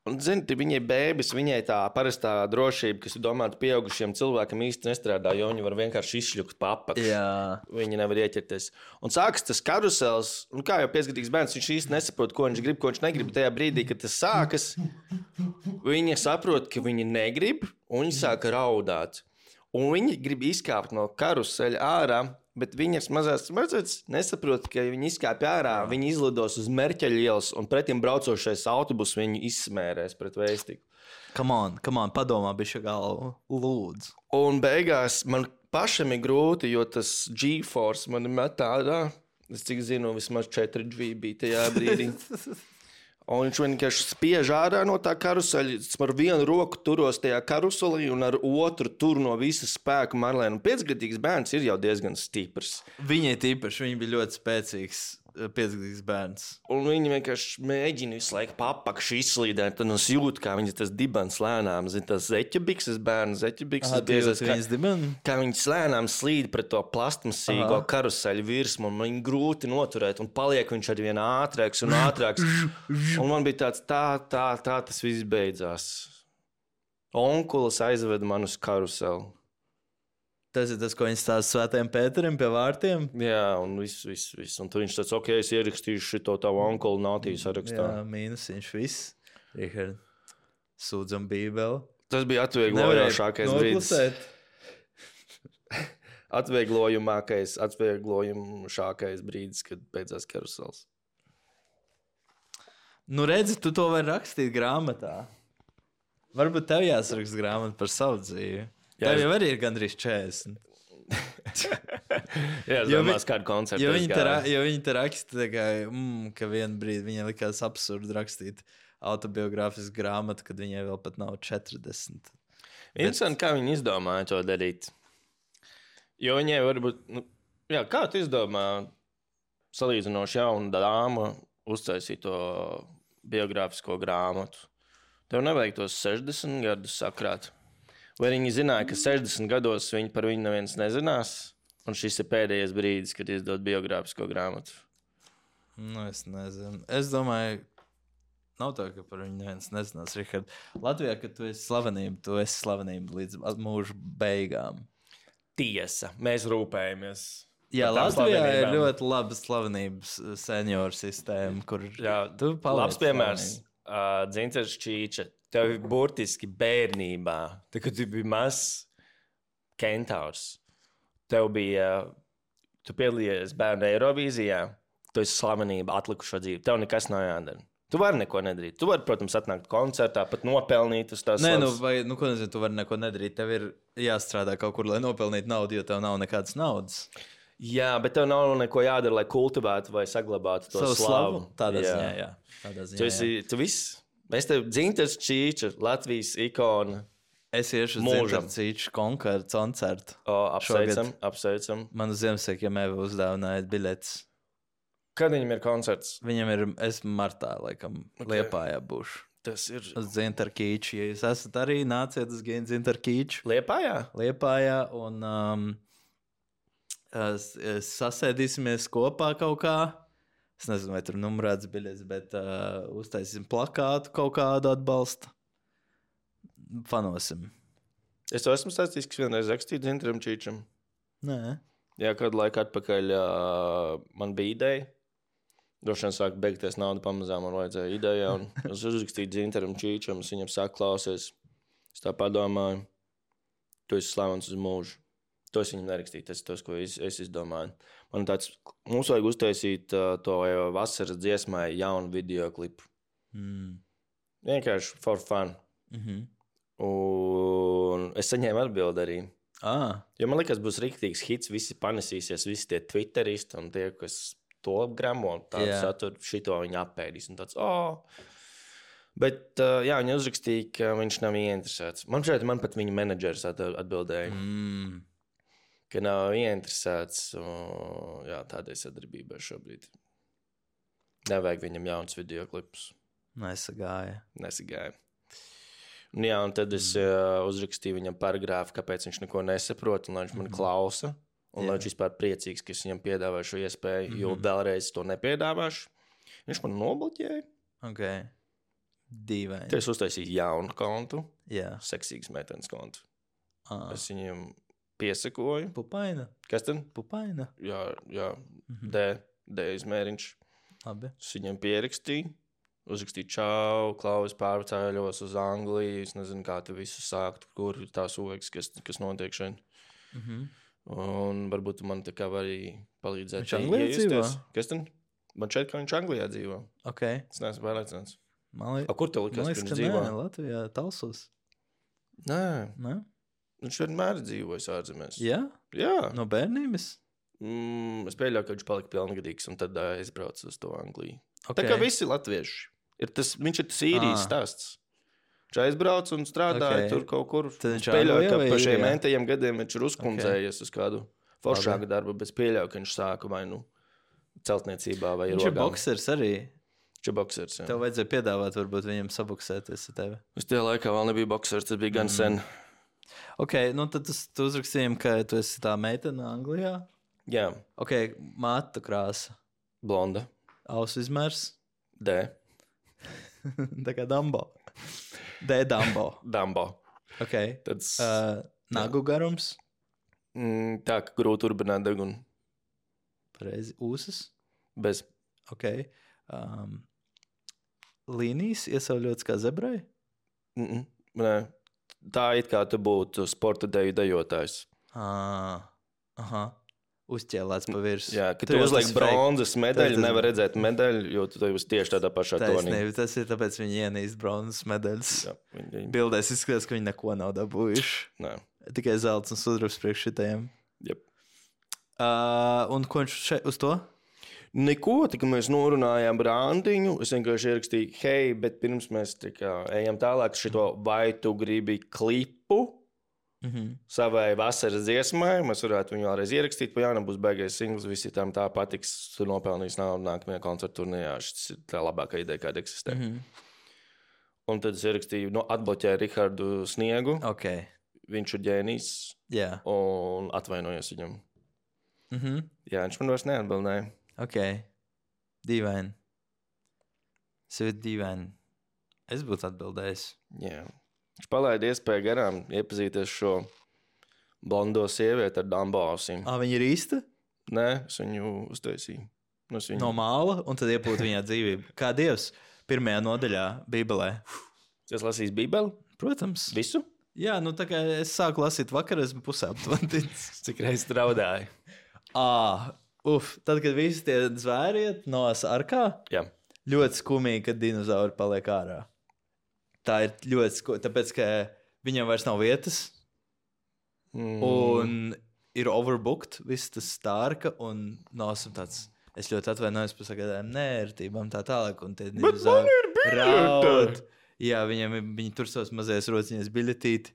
Un, zini, viņai bēbis, viņai tā parastā drošība, kas ir domāta pieaugušiem cilvēkam, īsti nestrādā, jo viņi var vienkārši izšļukt pa apakšu. Jā. Viņi nevar ieķerties. Un sākas tas karusels, un kā jau piecgadīgs bērns, viņš īsti nesaprot, ko viņš grib, ko viņš negrib. Tajā brīdī, kad tas sākas, viņi saprot, ka viņi negrib, un viņi sāk raudāt. Un viņi grib izkāpt no karuseļa ārā, bet viņas mazās mazliet nesaprot, ka viņi izkāpj ārā, viņi izlidos uz Merķeļa ielas, un pretim braucošais autobus viņu izsmērēs pret vēstiku. Come on, come on, padomā bišķi galvu. Lūdzu. Un beigās man pašam ir grūti, jo tas G-Force man met ārā. Es cik zinu, vismaz četri G bija tajā brīdī. Un viņš vienkārši spiež ārā no tā karuseļa. Es ar vienu roku turos tajā karuselī un ar otru tur no visas spēka Marlēnu. Piecgadīgs bērns ir jau diezgan stiprs. Viņai tīpaši, viņa bija ļoti spēcīgs piecgadīgs bērns. Un viņi vienkārši mēģina visu laiku papakšu izslīdēt. Tad es jūtu, kā viņas tas dibens lēnām. Zin, tas zeķebikses bērns, zeķebikses Aha, tu biezais, jūti viņas dibenu? kā viņas lēnām slīd pret to plastmasīgo Aha. karuseļu virsmu. Un viņu grūti noturēt. Un paliek viņš ar vien ātrāks un ātrāks. Un man bija tāds, tā, tā, tā tas viss beidzās. Onkulis aizveda man uz karuseli. Tas ir tas, ko viņš stāsta Svētajam Pēterim pie vārtiem. Jā, un viss, viss, viss. Un tur viņš tāds, ok, es ierakstīšu šito tavu onkulu nātīju sarakstā. Jā, mīnusiņš viss. Richard, sūdzam bībeli. Tas bija atvieglojošākais brīdis. noklusēt. Atvieglojumākais, atvieglojumšākais brīdis, kad beidzās karusels. Nu redzi, tu to vari rakstīt grāmatā. Varbūt tev jāsaraksta grāmata par savu dzīvi. Jā, Tev es- jau arī ir gandrīz četrdesmit. Jā, es Jo domāju, vi- kādu koncertu Jo es viņi, te, ra- gāju. jo viņi te raksta, tā kā, mm, ka vienā brīdī viņai likās absurdi rakstīt autobiogrāfisku grāmatu, kad viņai vēl pat nav četrdesmit. Interesanti, kā viņi izdomāja to darīt. Jo viņai varbūt, nu, jā, kā tu izdomā salīdzinoši jaunu dāmu uztaisīt to biogrāfisko grāmatu? Tev nevajag tos sešdesmit gadus sakrāt. Vai viņi zināja, ka sešdesmit gados viņi par viņu neviens nezinās, un šis ir pēdējais brīdis, kad izdod biogrāfisko grāmatu? Nu, es nezinu. Es domāju, nav tā, ka par viņu neviens nezinās, Richard. Latvijā, kad tu esi slavenība, tu esi slavenība līdz mūža beigām. Tiesa, mēs rūpējamies. Jā, par tām Latvijā ir slavenībām. ļoti laba slavenības senioru sistēma, kur Jā, tu paliec labs piemērs. slavenība. Uh, Dzintars Čīča. Tev ir burtiski bērnībā, tad, kad tu biji mazs kentaurs. Tev bija, tu piedalījies bērnu Eirovīzijā, tu esi slavenība atlikušo dzīvi. Tev nekas nav jādara. Tu vari neko nedarīt. Tu vari, protams, atnākt koncertā, pat nopelnīt uz tās Nē, nu, slavas. vai, nu, ko nezinu, tu vari neko nedarīt. Tev ir jāstrādā kaut kur, lai nopelnītu naudu, jo tev nav nekādas naudas. Jā, bet tev nav neko jādara, lai kultivētu vai saglabātu to Savu slavu. slavu. Tādā ziņā, jā. Tādā ziņā, Tu, jā. esi, tu viss Mēs tev Dzintars Čīča, Latvijas ikona. Es iešu uz Dzintars Čīča koncertu. O, apsveicam, apsveicam. Man uz Ziemassvētkiem Eva uzdāvināja biļetes. Kad viņam ir koncerts? Viņam ir, es martā, laikam, okay. Liepājā būšu. Tas ir... Uz Dzintara Čīča. Ja jūs esat arī, nāciet uz Dzintara Čīča. Liepājā? Liepājā un um, es, es sasēdīsimies kopā kaut kā. Es nezinu, vai tur numurēts biļetes, bet uh, uztaisīsim plakātu kaut kādu atbalstu. Fanosim. Es to esmu stāstījis, ka vienreiz rakstīju Dzintaram Čīčam. Nē. Jā, kādu laiku atpakaļ uh, man bija ideja. Droši vien sāk beigties nauda pamazām, man vajadzēja ideja. Un es uzrakstīju Dzintaram Čīčam, es viņam sāku klausies. Es tā padomāju, tu esi slavens uz mūžu. To es viņam nerakstīju, tas ir tas, ko es, es izdomāju. Man tāds, mums vajag uztaisīt uh, to vasaras dziesmai jaunu videoklipu. Mm. Vienkārši for fun. Mm-hmm. Un es saņēmu atbildi arī. Ah. Jo man liekas, būs riktīgs hits, visi panesīsies, visi tie twitteristi un tie, kas to gramo, tādu yeah. saturu, šito viņi apēdīs. Un tāds, oh. Bet, uh, jā, viņi uzrakstīja, ka viņš nav ieinteresēts. Man šeit, man pat viņa menedžers atbildēja. Mm. Ka nav ieinteresēts, un, jā, tādai sadarbībai šobrīd. Nevajag viņam jauns videoklipus. Nesagāja. Nesagāja. Un, jā, un tad es uh, uzrakstīju viņam paragrāfu, kāpēc viņš neko nesaprot, un lai viņš man klausa, un jā. Lai viņš vispār priecīgs, ka es viņam piedāvāju šo iespēju, mm-hmm. jo vēlreiz to nepiedāvāšu. Viņš man nobloķēja. Ok. Dīvaini. Tad es uztaisīju jaunu kontu, jā. Seksīgas meitenes kontu. Ah. Es viņam piesakoju. Pupaina. Kas tad? Pupaina. Jā, jā. Mm-hmm. D, D izmēriņš. Labi. Es viņam pierakstīju. Uzrakstīju čau, Klaus pārcēļos uz Angliju. Es nezinu, kā tu visu sākt, kur ir tās ogas, kas, kas notiek šeit. Mm-hmm. Un varbūt tu man tā kā arī palīdzēt. Viņš Anglijā dzīvo? Kas tad? Man šeit, ka viņš Anglijā dzīvo. Ok. Es neesmu pārliecināts. Man li... A, kur tev likas, man liekas, ka viņš ka dzīvo? Nē, Latvijā, Talsos. Nē. Nē? Viņš vienmēr dzīvojas ārzemēs. Jā? Jā. No bērnības? Mm, es pieļauju, ka viņš palika pilngadīgs un tad uh, aizbrauc uz to Angliju. Okay. Tā kā visi latvieši. Ir tas, viņš ir tas īrijas stāsts. Viņš aizbrauc un strādāja okay. tur kaut kur. Tad viņš pieļauju, ka pa šiem īrijā? entajiem gadiem viņš ir uzkundzējies okay. uz kādu foršāku Labi. darbu, bet pieļauju, ka viņš sāka vai nu celtniecībā vai viņš rogām. Ir boksers arī. Viņš ir boksers, jā. Tev vajadzēja piedāvāt varbūt viņam saboksēties ar tevi. Uz tajā laikā vēl nebija boksers, tas bija gan mm. sen. Ok, nu tad tas, tu uzrakstījām, ka tu esi tā meitene Anglijā. Jā. Ok, māta krāsa. Blonda. Ausu izmērs. D. Tā kā Dumbo. D. Dumbo. Dumbo. Ok. Tad... Uh, nagu garums. Mm, tā, ka grūti urbināt degunu. Pareizi. Ūsas. Bez. Ok. Um, līnijas iesauļots kā zebrai? Mm-mm. Nē. Tā it kā tu būtu sporta deju dejotājs. Ah. Aha. Uzķēlēts pa virsmu. Jā, ka tu uzliek bronzas medaļu, tas... nevar redzēt medaļu, jo tu esi tieši tādā pašā tonī. Tas ir tāpēc, viņi ienīst bronzas medaļas. Jā, viņi... Bildēs izskatās, ka viņi neko nav dabūjuši. Nē. Tikai zelts un sudrabs priekš šitajiem. Yep. Uh, un ko viņš šeit uz to? Neko, tikai mēs norunājām randiņu. Es vienkārši ierakstīju, hei, bet pirms mēs kā, ejam tālāk šito, vai tu gribi klipu? Mm-hmm. Savai vasaras dziesmai, mēs varētu viņu vēlreiz ierakstīt, pa jaunam būs beigais singls, visi tam tā patiks, tu nopelnīs naudu nākamajā koncertu turnījā, šis ir tā labākā ideja, kāda eksistē. Mm-hmm. Un tad es ierakstīju, no, atbloķēju Rihardu Sniegu, okay. Viņš ir ģēnijs, yeah. Un atvainojos viņam. Mm-hmm. Jā, viņš man vairs neatbildēja. Ok, dīvaini. Es ir dīvaini. Es būtu atbildējis. Jā. Yeah. Viņš palaida iespēju garām iepazīties šo blondo sievieti ar Dumbo ausīm. Ā, viņa ir īsta? Nē, es viņu uztaisīju. Es viņu... No māla, un tad iepūt viņā dzīvību. Kā Dievs pirmajā nodaļā Bībelē. Es lasīju Bībeli? Protams. Visu? Jā, nu tā kā es sāku lasīt vakar, esmu pusē aptuvendīts. Cik reiz traudāju? Ā, uf, tad, kad visi tie zvēriet no sarkā, jā. Ļoti skumīgi, kad dinozauri paliek ārā. Tā ir ļoti skūta, tāpēc, ka viņam vairs nav vietas, mm. un ir overbooked, viss tas stārka, un nosam tāds, es ļoti atvainojos par sagadājumiem nērtībām tā tālāk, un tie dinozauri raud. Jā, viņiem, viņi tur savas mazais rociņas biļetīti,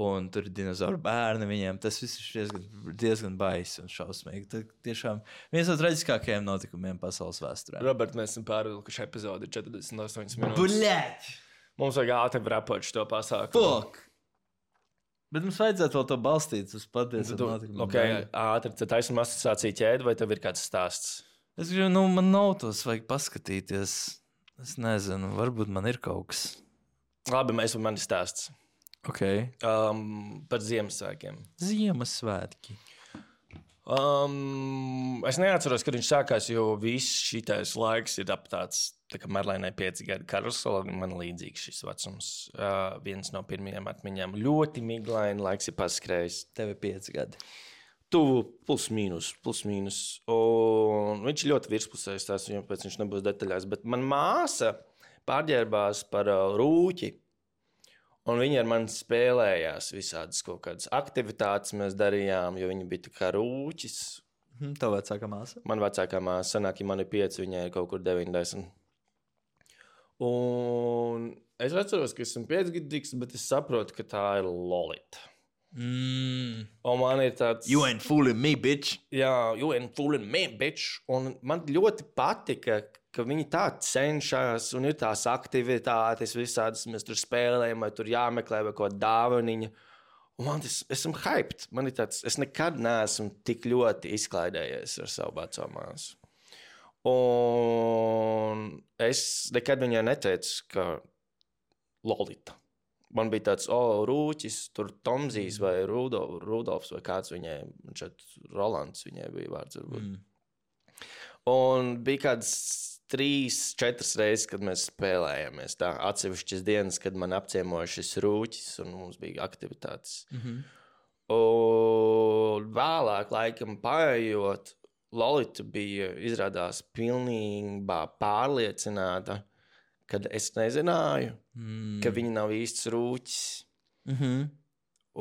un tur ir dinozauru bērni viņiem. Tas viss ir diezgan, diezgan baisi un šausmīgi. Tas tiešām viens no traģiskākajiem notikumiem pasaules vēsturē. Robert, mēs esam pārvilkuši epizodi četrdesmit astoņas minūtes. Buļļēt! Mums vajag ātri rapot šo pasākumu. Fok! Bet mums vajadzētu vēl to balstīt uz patiesu notikumu. Ok, ātri, tad taisam asociāciju ķēdi, vai tev ir kāds stāsts? Es gribu, nu, man nav tos vajag paskatīties. Es nezinu, varbūt man ir kaut kas. Labi, mēs varam mani stāsts. Ok. Um, par Ziemassvētkiem. Ziemassvētki. Um, es neatceros, kad viņš sākās, jo viss šitais laiks ir ap tāds, tā kā Marlēnai pieci gadi karusela, man līdzīgs šis vecums. Uh, viens no pirmajiem atmiņām. Ļoti miglaini laiks ir paskrējis. Tev ir pieci gadi. Tuvu plus mīnus, plus mīnus. Un viņš ir ļoti virspusējs, tās viņam pēc viņš nebūs detaļās. Bet man māsa pārģērbās par uh, rūķi. Un viņi ar mani spēlējās visādas kaut kādas aktivitātes mēs darījām, jo viņi bija tā kā rūķis. Hmm, Tev vecākā māsa? Man vecākā māsa, sanāk, ja man ir pieci, viņai ir kaut kur deviņdesmit. Un es atceros, ka esmu piecgadīgs, bet es saprotu, ka tā ir Lolita. Mm. Un man ir tāds... You ain't fooling me, bitch. Jā, you ain't fooling me, bitch. Un man ļoti patika, ka viņi tā cenšas, un ir tās aktivitātes visādas, mēs tur spēlējam, vai tur jāmeklē vai kaut dāvaniņa. Un man tas, esmu hyped. Man ir tāds, es nekad neesmu tik ļoti izklaidējies ar savu veco māsu. Un es nekad viņai neteicu, ka Lolita. Man bija tāds, o, oh, Rūķis, tur Tomzijs vai Rudolf, Rudolfs vai kāds viņai, šeit Rolands viņai bija vārds varbūt. Mm. Un bija kāds trīs, četras reizes, kad mēs spēlējāmies tā atsevišķas dienas, kad man apciemoja šis Rūķis un mums bija aktivitātes. Mm-hmm. Un vēlāk laikam paējot, Lolita bija izrādās pilnībā pārliecināta, kad es nezināju, mm. ka viņi nav īsts rūķis. Mm-hmm.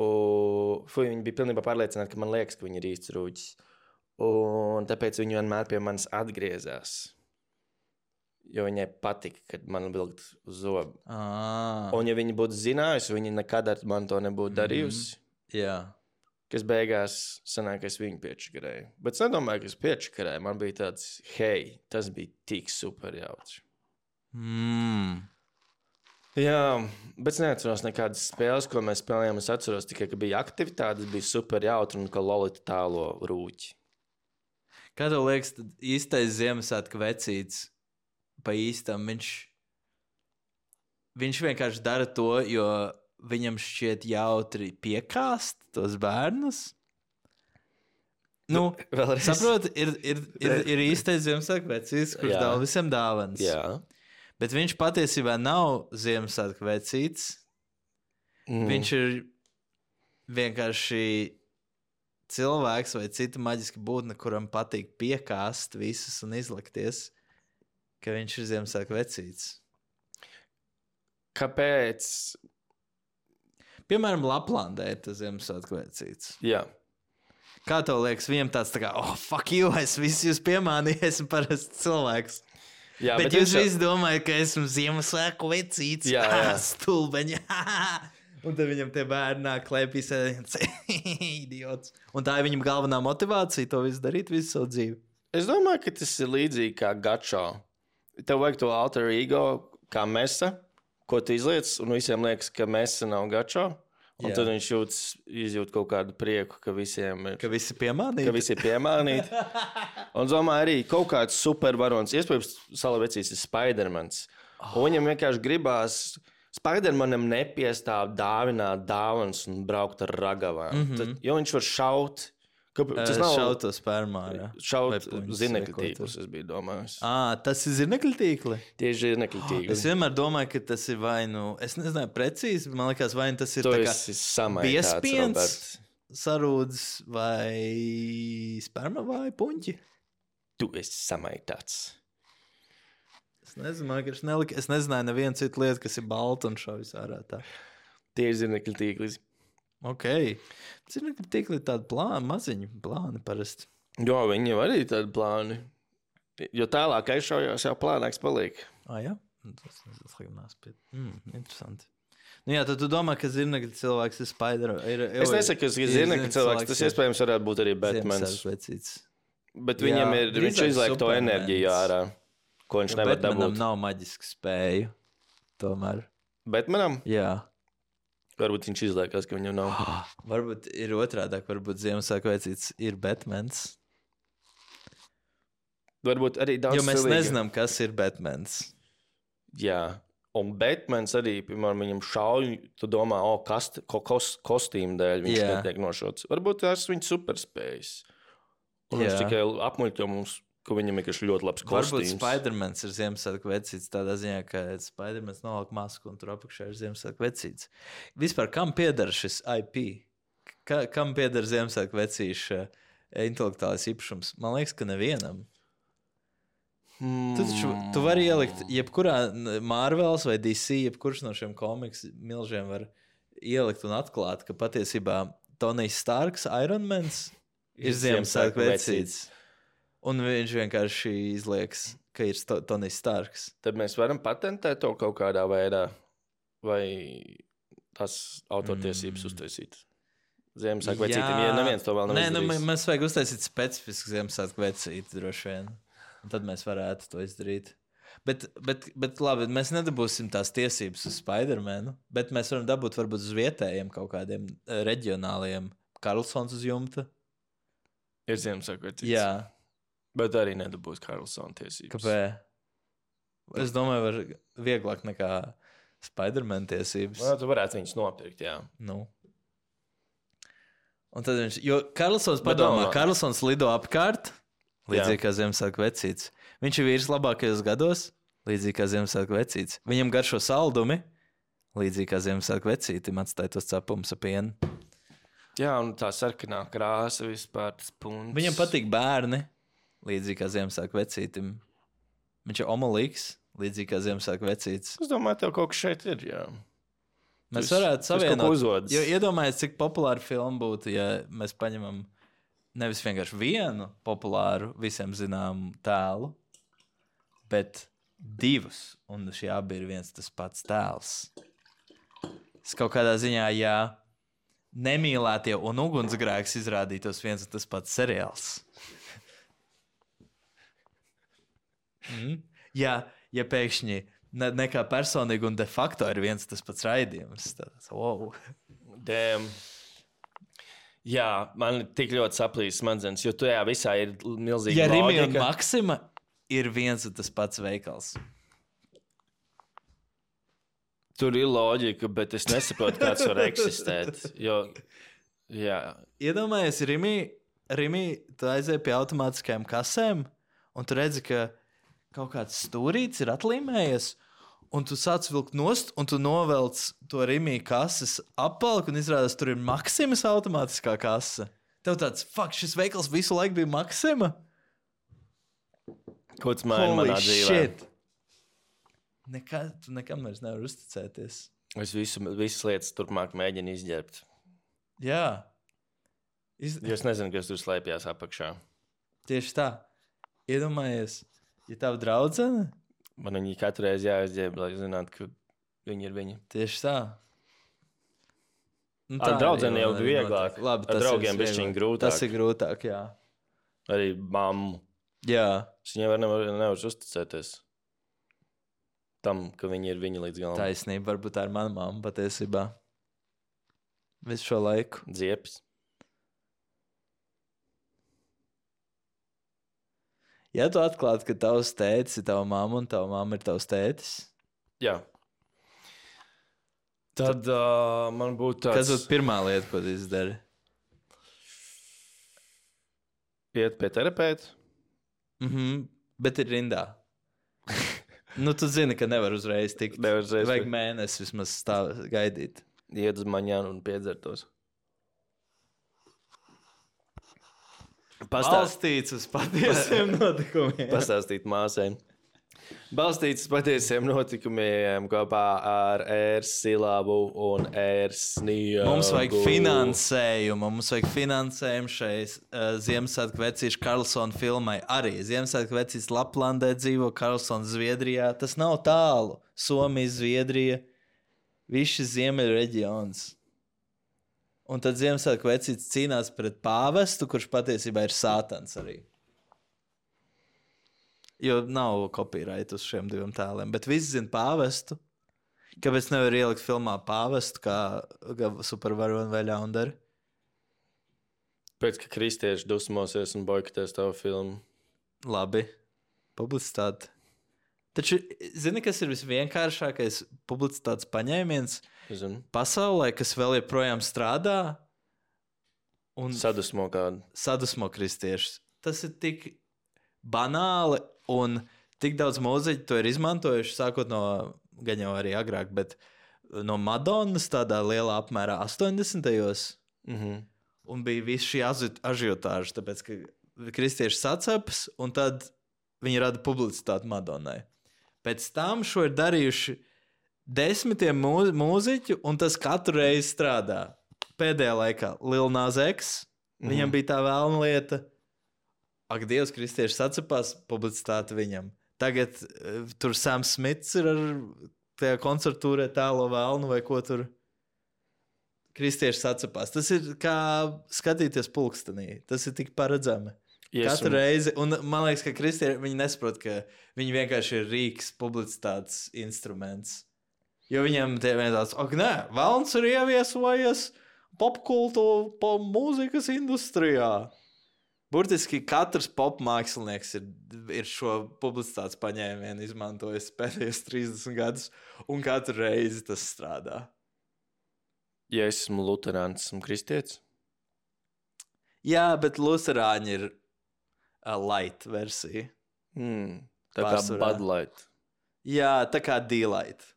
Un, fuj, viņi bija pilnībā pārliecināti, ka man liekas, ka viņi ir īsts rūķis. Un tāpēc viņi vienmēr pie manis atgriezās. Jo viņai patika, kad man vilkt uz zobu. Ah. Un ja viņi būtu zinājusi, viņi nekad ar man to nebūtu darījusi. Mm-hmm. Jā. Kas beigās sanāk, ka es viņu piečakarēju. Bet es nedomāju, ka es piečakarēju. Man bija tāds, hei, tas bija tik super jauci. Mm. Jā, bet es neatceros nekādas spēles, ko mēs spēlējām. Es atceros tikai, ka bija aktivitātes, bija super jautri un ka Lolita tālo rūķi. Kā tev liekas, tad īstais Ziemassvētku vecīts pa īstam, viņš, viņš vienkārši dara to, jo viņam šķiet jautri piekāst tos bērnus? Nu, vēlreiz. Saproti, ir, ir, ir, ir īstais Ziemassvētku vecīts, kurš dāvā visiem dāvanas. Jā. Bet viņš patiesībā nav Ziemassvētku vecīts. Mm. Viņš ir vienkārši cilvēks vai cita maģiska būtne, kuram patīk piekāst visus un izlikties, ka viņš ir Ziemassvētku vecīts. Kāpēc? Piemēram, Laplandē ir tas Ziemassvētku vecīts. Jā. Kā tev liekas, viņam tāds tā kā, oh, fuck you, es visu jūs piemānīju, esmu parasts cilvēks. Jā, bet, bet jūs visi domājat, ka esmu Ziemassvētku vecīts. Jā, jā. Stulbeņi. Un tad viņam tie bērni nāk klēpī sēdienas. Idiots. Un tā ir viņam galvenā motivācija to visu darīt visu savu dzīvi. Es domāju, ka tas ir līdzīgi kā gačo. Tev vajag to alter ego kā mesa, ko tu izliec, un visiem liekas, ka mesa nav gačo. Un jā. Tad viņš jūtas, izjūt kaut kādu prieku, ka visiem ir... Ka visi piemānīti. Ka visi ir piemānīti. Un domāju arī kaut kāds supervarons. Iespējams, Salavecīs ir Spidermans. Oh. Un viņam vienkārši gribās... Spidermanam nepiestāv dāvināt dāvanas un braukt ar ragavām. Mm-hmm. Tad, jo viņš var šaut... Ka, tas nav šaut to spermā, jā. Šaut zinekļu tīklus, es biju domājis. Ā, tas ir zinekļu tīkli? Tieši zinekļu tīkli. Es vienmēr domāju, ka tas ir vai nu... Es nezināju precīzi, man liekas, vai nu tas ir tu tā kā biespiens, sarūdz vai sperma vai puņķi. Tu esi samaitāts. Es nezinu, ka es, nelika, es nezināju nevienu citu lietu, kas ir balta un šo visā ārā tā. Tieši zinekļu tīklis. Ok. Zinekļu tīkli ir tādi plāni, maziņi plāni parasti. Jo, viņi jau arī tādi plāni. Jo tālāk aizšaujās, jau plānāks paliek. Ah, jā? Tas neslīgumās pie. Mm, interesanti. Nu jā, tad tu domā, ka zirnekļa cilvēks ir Spider. Ir, es nesaku, ka zirnekļa cilvēks, tas iespējams varētu būt arī Batmans. Bet jā, viņam ir, viņš izliek to enerģiju ārā, ko viņš ja nevar dabūt. Batmanam nav maģisku spēju, tomēr. Batmanam? Jā. Varbūt viņš izliekas, ka viņam nav. Oh, varbūt ir otrādāk, varbūt Ziemassvētku vecītis ir Batmans. Varbūt arī daudz jo mēs cilvēki. Nezinām, kas ir Batmans. Jā. Un Batmans arī, piemēram, viņam šauj, tu domā, o, kast, ko, kos, kostīmu dēļ viņš yeah. netiek nošauts. Varbūt tās viņa superspējas. Un yeah. viņš tikai apmuļķo mums, ka viņam ir ļoti labs kostīms. Varbūt Spidermans ir Ziemassvētku vecītis tādā ziņā, ka Spidermans nolāk masku un tur apakšā ir Ziemassvētku vecītis. Vispār, kam pieder šis I P? Ka, kam pieder Ziemassvētku vecīša intelektuālais īpašums? Man liekas, ka nevienam. Hmm. Tu, taču, tu vari ielikt, jebkurā Marvels vai D C, jebkurš no šiem komiks milžiem var ielikt un atklāt, ka patiesībā Tonijs Starks, Iron Mans, ir Ziemassvētku vecītis. Un viņš vienkārši izlieks, ka ir Tonijs Starks. Tad mēs varam patentēt to kaut kādā veidā, vai tās autortiesības mm. uztaisīt. Ziemassvētku vecītim, ja neviens to vēl nav Nē, izdarījis. Nu, mēs vajag uztaisīt specifisku Ziemassvētku vecīti droši vien. Un tad mēs varētu to izdarīt. Bet, bet, bet labi, mēs nedabūsim tās tiesības uz Spidermanu, bet mēs varam dabūt varbūt uz vietējiem kaut kādiem reģionāliem. Karlsons uz jumta. Ir Ziemassvētku vecītis. Jā. Bet arī nedabūs Karlsona tiesības. Kāpēc? Es domāju, var vieglāk nekā Spiderman tiesības. Nu, tu varētu viņus nopirkt, jā. Nu. Un tad viņš, jo Karlsons padomā, Karlsons lido apkārt, līdzīgi kā Ziemassvētku vecītis. Viņš ir vīrs labākajos gados, līdzīgi kā Ziemassvētku vecītis. Viņam garšo saldumi, līdzīgi kā Ziemassvētku vecītim atstāja tos cepumus ar pienu. Jā, un tā sarkanā krāsa vispār, tas punts. Viņam patīk bērni, līdzīgi kā Ziemassvētku vecītim. Viņš ir omolīgs, līdzīgi kā Ziemassvētku vecītis. Es domāju, tev kaut kas šeit ir, jā. Mēs varētu savienot. Jo iedomājies, cik populāra filma būtu, ja mēs paņemam nevis vienkārši vienu populāru, visiem zināmu tēlu, bet divus, un šie abi ir viens tas pats tēls. Es kaut kādā ziņā, ja Nemīlētie un ugunsgrēks izrādītos viens un tas pats seriāls. mm? Ja, ja pēkšņi ne, nekā personīgi un de facto ir viens tas pats raidījums, tad wow. Damn. Jā, man tik ļoti saplīs smadzenes, jo tajā visā ir milzīga ja loģika. Ja Rimi un Maksima ir viens un tas pats veikals. Tur ir loģika, bet es nesaprotu, kāds var eksistēt. Jo, jā. Iedomājies, Rimi, Rimi, tu aizēji pie automātiskajām kasēm, un tu redzi, ka kaut kāds stūrīts ir atlīmējies, un tu sāc vilkt nost, un tu novelc to Rimi kases apvalku, un izrādās, tur ir Maksimas automātiskā kase. Tev tāds, fuck, šis veikals visu laiku bija Maksima? Ko tas maina manā dzīvē? Shit. Nekā, tu nekam vairs nevar uzticēties. Es visu, visas lietas turpmāk mēģinu izģērbt. Jā. Iz... Jo es nezinu, kas tur slēpjās apakšā. Tieši tā. Iedomājies, ja tava draudzene... Man viņi katru reizi jāizģērb, lai zinātu, ka viņi ir viņi. Tieši tā. Nu, Ar draudzeni jau bija vieglāk. Labi, ar draugiem bišķiņ grūtāk. Tas ir grūtāk, jā. Arī mammu. Jā. Es viņai var nevar, nevar uzticēties. Tam, ka viņi ir viņi līdz galam. Taisnība, varbūt tā ir mana mamma patiesībā. Visu šo laiku. Dziepis. Ja tu atklātu, ka tavs tētis ir tava mamma un tava mamma ir tavs tētis. Jā. Tad uh, man būtu tāds... Kas būtu pirmā lieta, ko tu izdari? Iet pie terapeita. Mhm, bet ir rindā. Nu, tu zini, ka nevar uzreiz tikt. Nevar uzreiz. Vajag mēnesi vismaz stāv, gaidīt. Iet uz maņānu un piedzertos. Pastāstīts uz patiesiem notikumiem. Pastāstīt māsēm. Balstīts patiesiem notikumiem kopā ar ērsilabu un ērsnīgu. Mums vajag finansējumu. Mums vajag finansējumu šai uh, Ziemassvētku vecīšu Karlsona filmai. Arī Ziemassvētku vecīs Laplandē dzīvo, Karlsona Zviedrijā. Tas nav tālu. Somija, Zviedrija, viss šis ziemeļu reģions. Un tad Ziemassvētku vecīts cīnās pret pāvestu, kurš patiesībā ir sātans arī. Jo nav copyright uz šiem diviem tēliem. Bet visi zina pāvestu. Kāpēc nevar ielikt filmā pāvestu, kā, kā supervaroni vai ļaundari? Pēc, ka kristieši dusmosies un boikotēs tavu filmu. Labi. Publicitāte. Taču, zini, kas ir visvienkāršākais publicitātes paņēmiens pasaulē, kas vēl joprojām strādā? Un sadusmo kādu. Sadusmo kristiešus. Tas ir tik banāli. Un tik daudz mūziķu to ir izmantojuši, sākot no, gan jau arī agrāk, bet no Madonnas tādā lielā apmērā astoņdesmitajos. Mm-hmm. Un bija viss šī ažiotāža, tāpēc, ka kristieši sacepas, un tad viņi rada publicitāti Madonnai. Pēc tam šo ir darījuši desmitiem mū, mūziķu, un tas katru reizi strādā. Pēdējā laikā Lil Nas X, mm-hmm. viņam bija tā vēlna lieta. Ak, Dievs, kristieši sacepās, publicitāte viņam. Tagad uh, tur Sams Smits ir ar tajā koncertūrē tēlo vēlnu vai ko tur. Kristieši sacepās. Tas ir kā skatīties pulkstenī. Tas ir tik paredzami. Yes, Katru un... reizi. Un man liekas, ka kristieši viņi nesaprot, ka viņi vienkārši ir rīks, publicitātes instruments. Jo viņiem tie vien tāds, ak, nē, vēlns ir ieviesojies popkultu po mūzikas industrijā. Burtiski katrs popmākslinieks ir, ir šo publicitātes paņēmienu izmantojis pēdējos trīsdesmit gadus, un katru reizi tas strādā. Ja es esmu luterāns, esmu kristietis? Jā, bet luterāņi ir uh, light versija. Mm, tā Pārsvarā. Kā Bud Light. Jā, tā kā D-Light.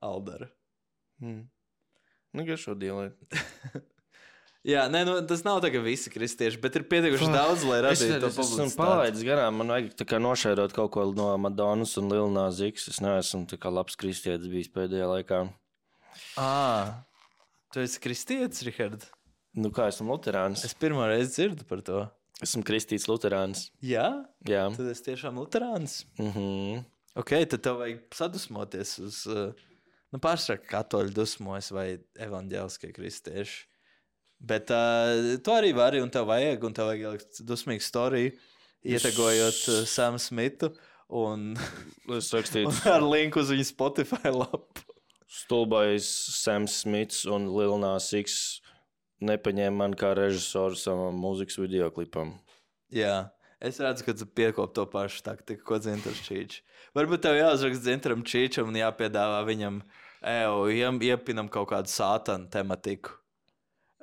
Aldara. Mm. Nu, garšo D-Light. Jā, nē, nu, tas nav tā, ka visi kristieši, bet ir pietiekuši daudz, lai radītu to publicitāti. Es esmu palaidis garām, man vajag tā kā nošērot kaut ko no Madonnas un Lil Nas X. Es neesmu tā kā labs kristietis bijis pēdējā laikā. Ā, tu esi kristietis, Rihard? Nu kā, esmu luterāns. Es pirmo reizi dzirdu par to. Esmu kristīts luterāns. Jā? Jā. Tad esi tiešām luterāns? Mhm. Ok, tad tev vajag sadusmoties uz, nu pārsvarā katoļu dusmojas vai evaņģēliskie kristieši. Bet uh, tu arī vari, un tev vajag, un tev vajag ielikt dusmīgu storiju, ietegojot uh, Samu Smitu, un, un ar linku uz viņu Spotify lapu. Stulbais Sams Smits un Lil Nas X nepaņēma man kā režisoru savam mūzikas videoklipam. Jā, es redzu, ka tu piekop to pašu taktiku, ko Dzintars Čīčs. Varbūt tev jāuzrakst Dzintaram Čīčam un jāpiedāvā viņam, eju, iepinam kaut kādu sātanu tematiku.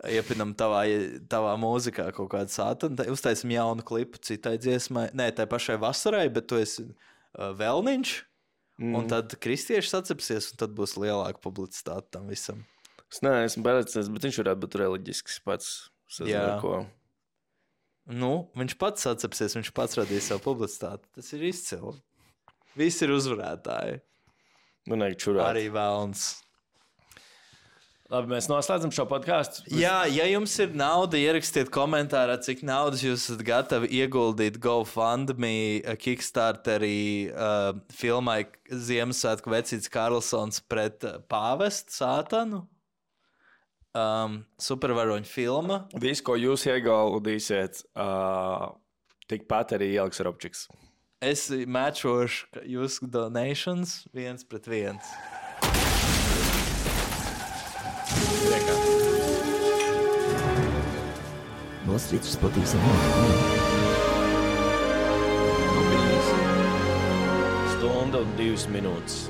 Iepinam tavā, tavā mūzikā kaut kādu sātanu, uztaisim jaunu klipu citai dziesmai, nē, tai pašai vasarai, bet tu esi uh, vēlniņš, mm. un tad kristieši sacepsies, un tad būs lielāka publicitāte tam visam. Es neesmu paredzējis, bet viņš varētu būt reliģisks pats. Jā. Ko. Nu, viņš pats sacepsies, viņš pats radīs savu publicitāti. Tas ir izcili. Visi ir uzvarētāji. Man vajag čurāt. Arī vēlns. Labi, mēs noslēdzam šo podcastu. Jā, ja jums ir nauda, ierakstiet komentārā, cik naudas jūs esat gatavi ieguldīt GoFundMe, Kickstarterī, uh, filmai Ziemassvētku vecīts Karlsons pret pāvestu sātanu. Um, supervaroņu filma. Visu, ko jūs ieguldīsiet, uh, tikpat arī ieliks Robčiks. Es matchošu jūsu donations viens pret viens. Noslīdus patīsim notikumiem. Stunda un divas minūtes.